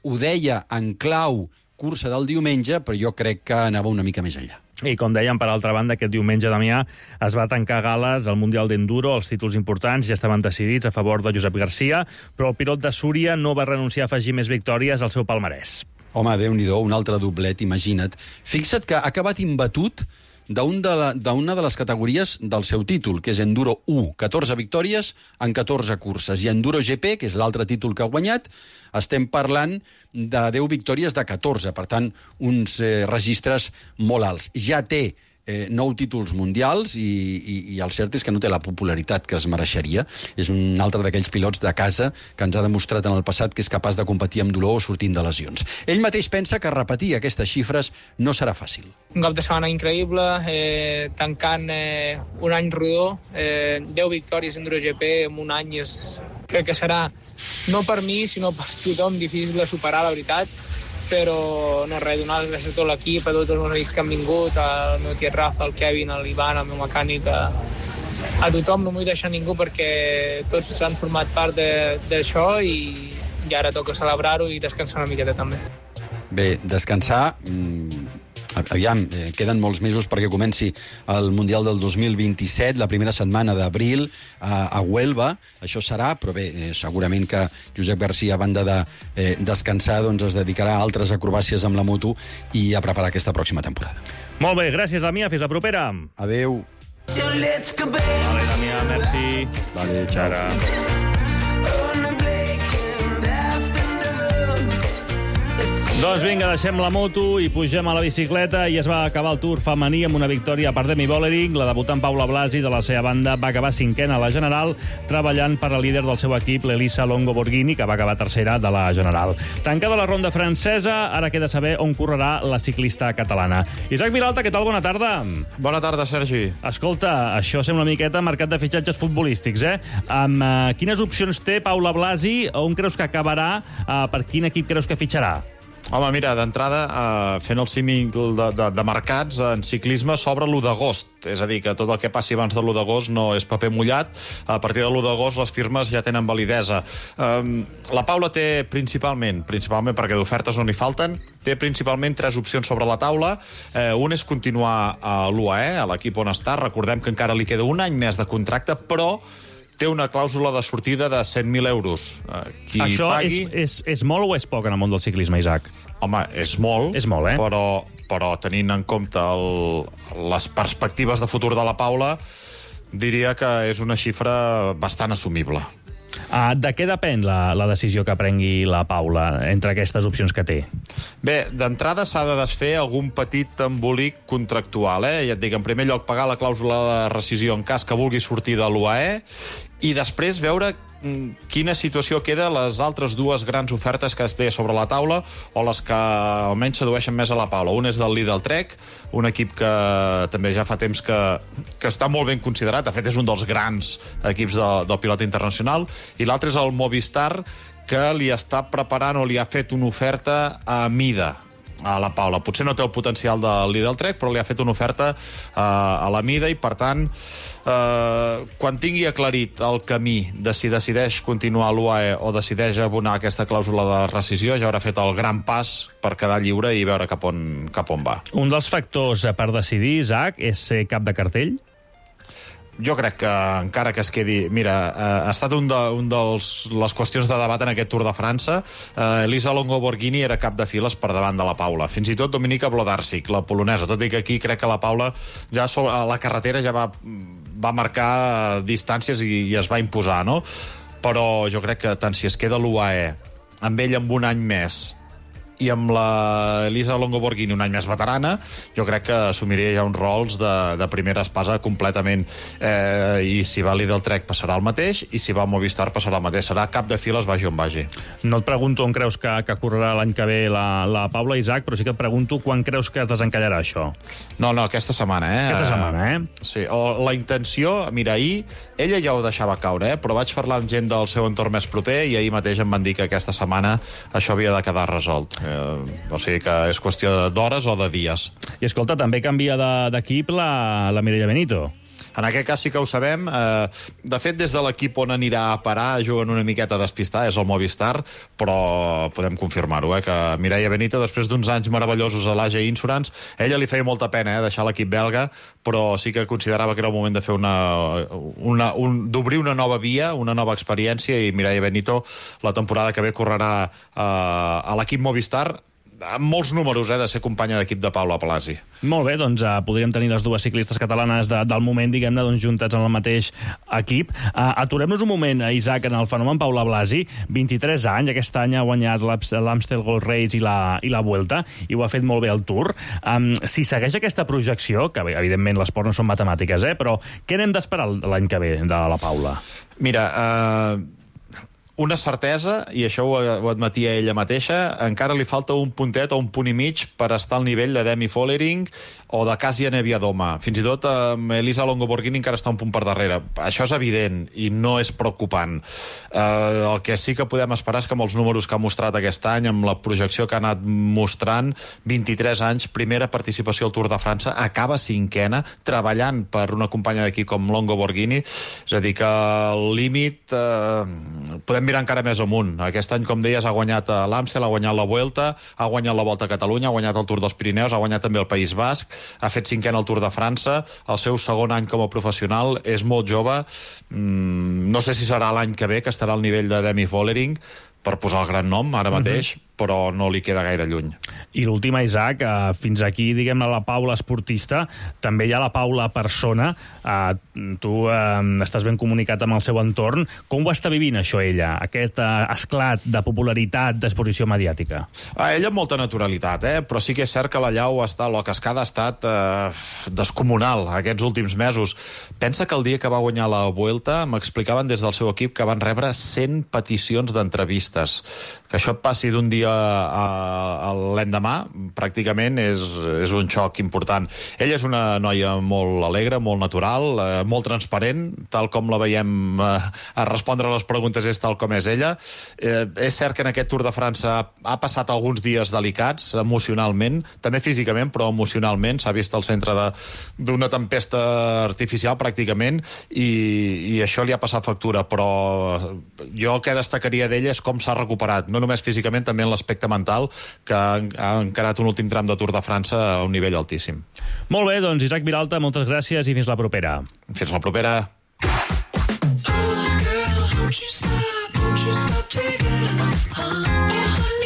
ho deia en clau cursa del diumenge, però jo crec que anava una mica més enllà. I com dèiem, per altra banda, aquest diumenge, Damià, es va tancar gales al Mundial d'Enduro, els títols importants ja estaven decidits a favor de Josep Garcia, però el pilot de Súria no va renunciar a afegir més victòries al seu palmarès. Home, Déu-n'hi-do, un altre doblet, imagina't. Fixa't que ha acabat imbatut d'una de, la, de les categories del seu títol, que és Enduro u, catorze victòries en catorze curses, i Enduro G P, que és l'altre títol que ha guanyat, estem parlant de deu victòries de catorze, per tant, uns eh, registres molt alts. Ja té eh, nou títols mundials i, i, i el cert és que no té la popularitat que es mereixeria. És un altre d'aquells pilots de casa que ens ha demostrat en el passat que és capaç de competir amb dolor o sortint de lesions. Ell mateix pensa que repetir aquestes xifres no serà fàcil. Un cap de setmana increïble, eh, tancant eh, un any rodó, eh, deu victòries en Enduro G P en un any és, crec que serà, no per mi, sinó per tothom, difícil de superar, la veritat, però no res, donar les gràcies a tot l'equip, a tots els meus amics que han vingut, al meu tiet Rafa, al Kevin, a l'Ivan, al meu mecànic, a, a tothom, no vull deixar ningú perquè tots han format part d'això i, i ara toca celebrar-ho i descansar una miqueta també. Bé, descansar... Mmm... Aviam, eh, queden molts mesos perquè comenci el Mundial del dos mil vint-i-set, la primera setmana d'abril a, a Huelva. Això serà, però bé, eh, segurament que Josep Garcia, a banda de eh, descansar, doncs es dedicarà a altres acrobàcies amb la moto i a preparar aquesta pròxima temporada. Molt bé, gràcies, Damià. Fins la propera. Adéu. Vale, Damià, merci. Vale, ciao. Ara. Doncs vinga, deixem la moto i pugem a la bicicleta i es va acabar el Tour femení amb una victòria per Demi Vollering. La debutant Paula Blasi, de la seva banda, va acabar cinquena a la General, treballant per la líder del seu equip, l'Elisa Longo Borghini, que va acabar tercera de la General. Tancada la ronda francesa, ara queda saber on correrà la ciclista catalana. Isaac Vilalta, què tal? Bona tarda. Bona tarda, Sergi. Escolta, això sembla una miqueta mercat de fitxatges futbolístics, eh? Amb, uh, quines opcions té Paula Blasi? On creus que acabarà? Uh, per quin equip creus que fitxarà? Home, mira, d'entrada, eh, fent el símil de, de, de mercats, en ciclisme s'obre l'u d'agost. És a dir, que tot el que passi abans de l'u d'agost no és paper mullat. A partir de l'u d'agost les firmes ja tenen validesa. Eh, la Paula té principalment, principalment perquè d'ofertes no n'hi falten, té principalment tres opcions sobre la taula. Eh, un és continuar a l'U A E, a l'equip on està. Recordem que encara li queda un any més de contracte, però té una clàusula de sortida de cent mil euros. Qui Això pagui... és, és, és molt o és poc en el món del ciclisme, Isaac? Home, és molt, és molt eh? però, però tenint en compte el, les perspectives de futur de la Paula, diria que és una xifra bastant assumible. Uh, de què depèn la, la decisió que prengui la Paula entre aquestes opcions que té? Bé, d'entrada s'ha de desfer algun petit embolic contractual. Eh? Ja et dic, en primer lloc, pagar la clàusula de rescisió en cas que vulgui sortir de l'U A E i després veure quina situació queda les altres dues grans ofertes que es té sobre la taula o les que almenys sedueixen més a la Paula. Un és del Lidl Trek, un equip que també ja fa temps que, que està molt ben considerat, de fet és un dels grans equips de, del pilot internacional, i l'altre és el Movistar, que li està preparant o li ha fet una oferta a mida. a la Paula. Potser no té el potencial del Lidl Trek, però li ha fet una oferta uh, a la mida i, per tant, uh, quan tingui aclarit el camí de si decideix continuar a l'U A E o decideix abonar aquesta clàusula de rescisió, ja haurà fet el gran pas per quedar lliure i veure cap on, cap on va. Un dels factors per decidir, Isaac, és ser cap de cartell? Jo crec que encara que es quedi... Mira, eh, ha estat un de un dels les qüestions de debat en aquest Tour de França. Eh, Elisa Longo Borghini era cap de files per davant de la Paula. Fins i tot Dominika Wlodarczyk, la polonesa. Tot i que aquí crec que la Paula ja a la carretera ja va, va marcar distàncies i, i es va imposar, no? Però jo crec que tant si es queda l'U A E amb ell amb un any més i amb la Elisa Longo Borghini un any més veterana, jo crec que assumiria ja uns rols de, de primera espasa completament. Eh, I si va Lidl Trek passarà el mateix, i si va Movistar passarà el mateix. Serà cap de files, vagi on vagi. No et pregunto on creus que, que correrà l'any que ve la, la Paula, Isaac, però sí que et pregunto quan creus que es desencallarà això. No, no, aquesta setmana, eh? Aquesta setmana, eh? Sí, o la intenció, mira, ahir, ella ja ho deixava caure, eh? Però vaig parlar amb gent del seu entorn més proper i ahir mateix em van dir que aquesta setmana això havia de quedar resolt. Eh, o sigui que és qüestió d'hores o de dies. I escolta, també canvia d'equip la, la Mireia Benito. En aquest cas sí que ho sabem. Eh, de fet, des de l'equip on anirà a parar juguen una miqueta a despistar, és el Movistar, però podem confirmar-ho, eh, que Mireia Benito, després d'uns anys meravellosos a l'A G Insurance, ella li feia molta pena eh, deixar l'equip belga, però sí que considerava que era el moment de fer una, una, un, d'obrir una nova via, una nova experiència, i Mireia Benito la temporada que ve correrà eh, a l'equip Movistar, amb molts números, eh, de ser companya d'equip de Paula Palasi. Molt bé, doncs uh, podríem tenir les dues ciclistes catalanes de, del moment, diguem-ne, doncs, juntats en el mateix equip. Uh, Aturem-nos un moment, Isaac, en el fenomen Paula Blasi. vint-i-tres anys, aquest any ha guanyat l'Amstel Gold Race i la, i la Vuelta, i ho ha fet molt bé al Tour. Um, si segueix aquesta projecció, que evidentment l'esport no són matemàtiques, eh, però què n'hem d'esperar l'any que ve de la Paula? Mira, eh... Uh... una certesa, i això ho, ho admetia ella mateixa, encara li falta un puntet o un punt i mig per estar al nivell de Demi Vollering o de Kasia Neviadoma. Fins i tot amb Elisa Longo Borghini encara està un punt per darrere. Això és evident i no és preocupant. Eh, el que sí que podem esperar és que amb els números que ha mostrat aquest any, amb la projecció que ha anat mostrant, vint-i-tres anys, primera participació al Tour de França, acaba cinquena, treballant per una companya d'aquí com Longo Borghini. És a dir, que el límit eh, podem mirar encara més amunt. Aquest any, com deies, ha guanyat l'Amstel, ha guanyat la Vuelta, ha guanyat la Volta a Catalunya, ha guanyat el Tour dels Pirineus, ha guanyat també el País Basc, ha fet cinquena al Tour de França, el seu segon any com a professional, és molt jove, mm, no sé si serà l'any que ve que estarà al nivell de Demi Vollering, per posar el gran nom ara mateix, uh-huh. però no li queda gaire lluny. I l'última, Isaac, eh, fins aquí, diguem-ne, la Paula esportista, també hi ha la Paula persona. Eh, tu eh, estàs ben comunicat amb el seu entorn. Com ho està vivint, això, ella? Aquest eh, esclat de popularitat, d'exposició mediàtica? A ella amb molta naturalitat, eh? Però sí que és cert que la llau està, la cascada ha estat eh, descomunal aquests últims mesos. Pensa que el dia que va guanyar la Vuelta m'explicaven des del seu equip que van rebre cent peticions d'entrevistes. Que això et passi d'un dia a, a l'endemà, pràcticament és, és un xoc important. Ella és una noia molt alegre, molt natural, eh, molt transparent, tal com la veiem eh, a respondre a les preguntes és tal com és ella. Eh, és cert que en aquest Tour de França ha, ha passat alguns dies delicats emocionalment, també físicament, però emocionalment. S'ha vist al centre d'una tempesta artificial, pràcticament, i, i això li ha passat factura, però jo el que destacaria d'ella és com s'ha recuperat, no només físicament, també en l'aspecte mental, que ha encarat un últim tram de Tour de França a un nivell altíssim. Molt bé, doncs Isaac Vilalta, moltes gràcies i fins la propera. Fins la propera.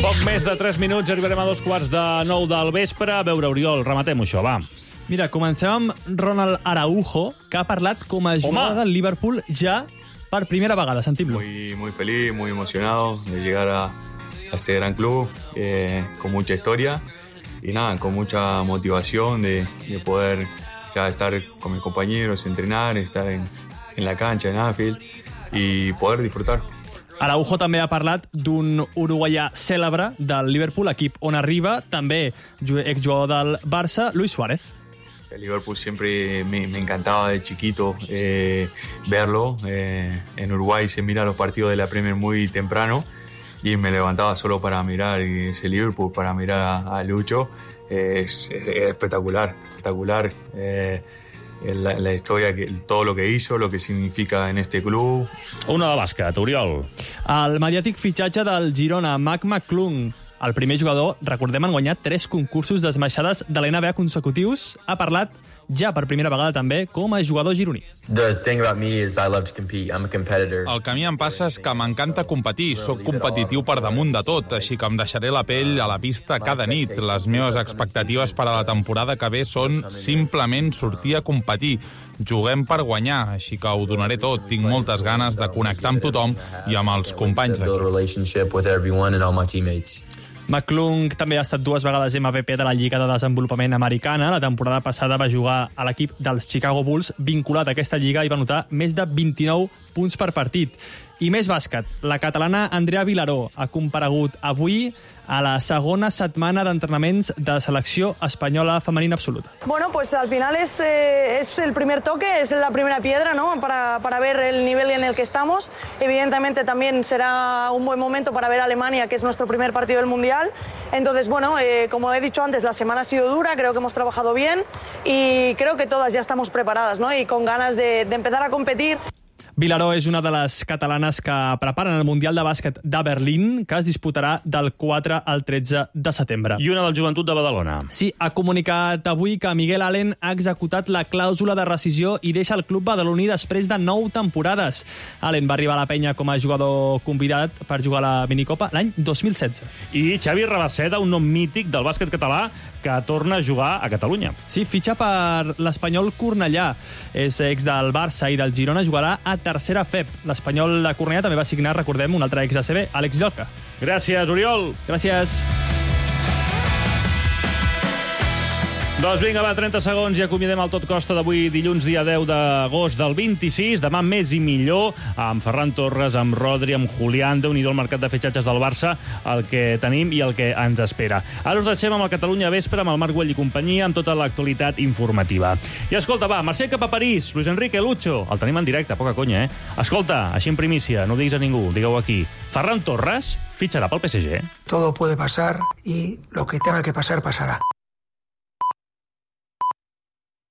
Poc més de tres minuts, arribarem a dos quarts de nou del vespre. A veure, Oriol, rematem-ho això, va. Mira, comencem amb Ronald Araujo, que ha parlat com a jugador del Liverpool ja per primera vegada. Sentim-lo. Muy, muy feliz, muy emocionado de llegar a, a este gran club, eh, con mucha historia y nada, con mucha motivación de, de poder ya estar con mis compañeros, entrenar, estar en, en la cancha, en Anfield y poder disfrutar. Araujo també ha parlat d'un uruguaià cèlebre del Liverpool, equip on arriba, també exjugador del Barça, Luis Suárez. El Liverpool siempre me, me encantaba de chiquito eh, verlo. Eh, en Uruguay se mira los partidos de la Premier muy temprano y me levantaba solo para mirar ese Liverpool, para mirar a, a Lucho. Eh, es, es espectacular, espectacular. Eh, La, la historia, que, todo lo que hizo, lo que significa en este club. Una de bàsquet, Oriol. El mediàtic fitxatge del Girona, Mac McClung, el primer jugador, recordem, han guanyat tres concursos d'esmaixades de l'N B A consecutius, ha parlat ja per primera vegada també com a jugador gironí. The thing about me is I love to compete. I'm a competitor. El que a mi em passa és que m'encanta competir. Soc competitiu per damunt de tot, així que em deixaré la pell a la pista cada nit. Les meves expectatives per a la temporada que ve són simplement sortir a competir. Juguem per guanyar, així que ho donaré tot. Tinc moltes ganes de connectar amb tothom i amb els companys d'aquí. McClung també ha estat dues vegades M V P de la Lliga de Desenvolupament Americana. La temporada passada va jugar a l'equip dels Chicago Bulls, vinculat a aquesta lliga, i va anotar més de vint-i-nou punts per partit. I més bàsquet. La catalana Andrea Vilaró ha comparegut avui a la segona setmana d'entrenaments de selecció espanyola femenina absoluta. Bueno, pues al final es, eh, es el primer toque, es la primera piedra, ¿no? Para, para ver el nivel en el que estamos. Evidentemente también será un buen momento para ver a Alemania, que es nuestro primer partido del Mundial. Entonces, bueno, eh, como he dicho antes, la semana ha sido dura, creo que hemos trabajado bien y creo que todas ya estamos preparadas, ¿no? Y con ganas de, de empezar a competir. Vilaró és una de les catalanes que preparen el Mundial de Bàsquet de Berlín, que es disputarà del quatre al tretze de setembre. I una del Joventut de Badalona. Sí, ha comunicat avui que Miguel Allen ha executat la clàusula de rescisió i deixa el club badaloní després de nou temporades. Allen va arribar a la penya com a jugador convidat per jugar a la minicopa l'any dos mil setze. I Xavi Rabaseda, un nom mític del bàsquet català, que torna a jugar a Catalunya. Sí, fitxa per l'Espanyol Cornellà. És ex del Barça i del Girona, jugarà a tercera F E P. L'Espanyol de Cornellà també va signar, recordem, un altre ex-A C B, Àlex Llorca. Gràcies, Oriol. Gràcies. Doncs vinga, va, trenta segons i acomiadem el Tot Costa d'avui, dilluns, dia deu d'agost del vint-i-sis. Demà més i millor, amb Ferran Torres, amb Rodri, amb Julián. Déu-n'hi-do el mercat de fitxatges del Barça, el que tenim i el que ens espera. Ara us deixem amb el Catalunya Vespre, amb el Marc Güell i companyia, amb tota l'actualitat informativa. I escolta, va, marxem cap a París. Luis Enrique, Lucho, el tenim en directe, poca conya, eh? Escolta, així en primícia, no ho diguis a ningú, digueu aquí. Ferran Torres fitxarà pel P S G. Todo puede pasar y lo que tenga que pasar, pasará.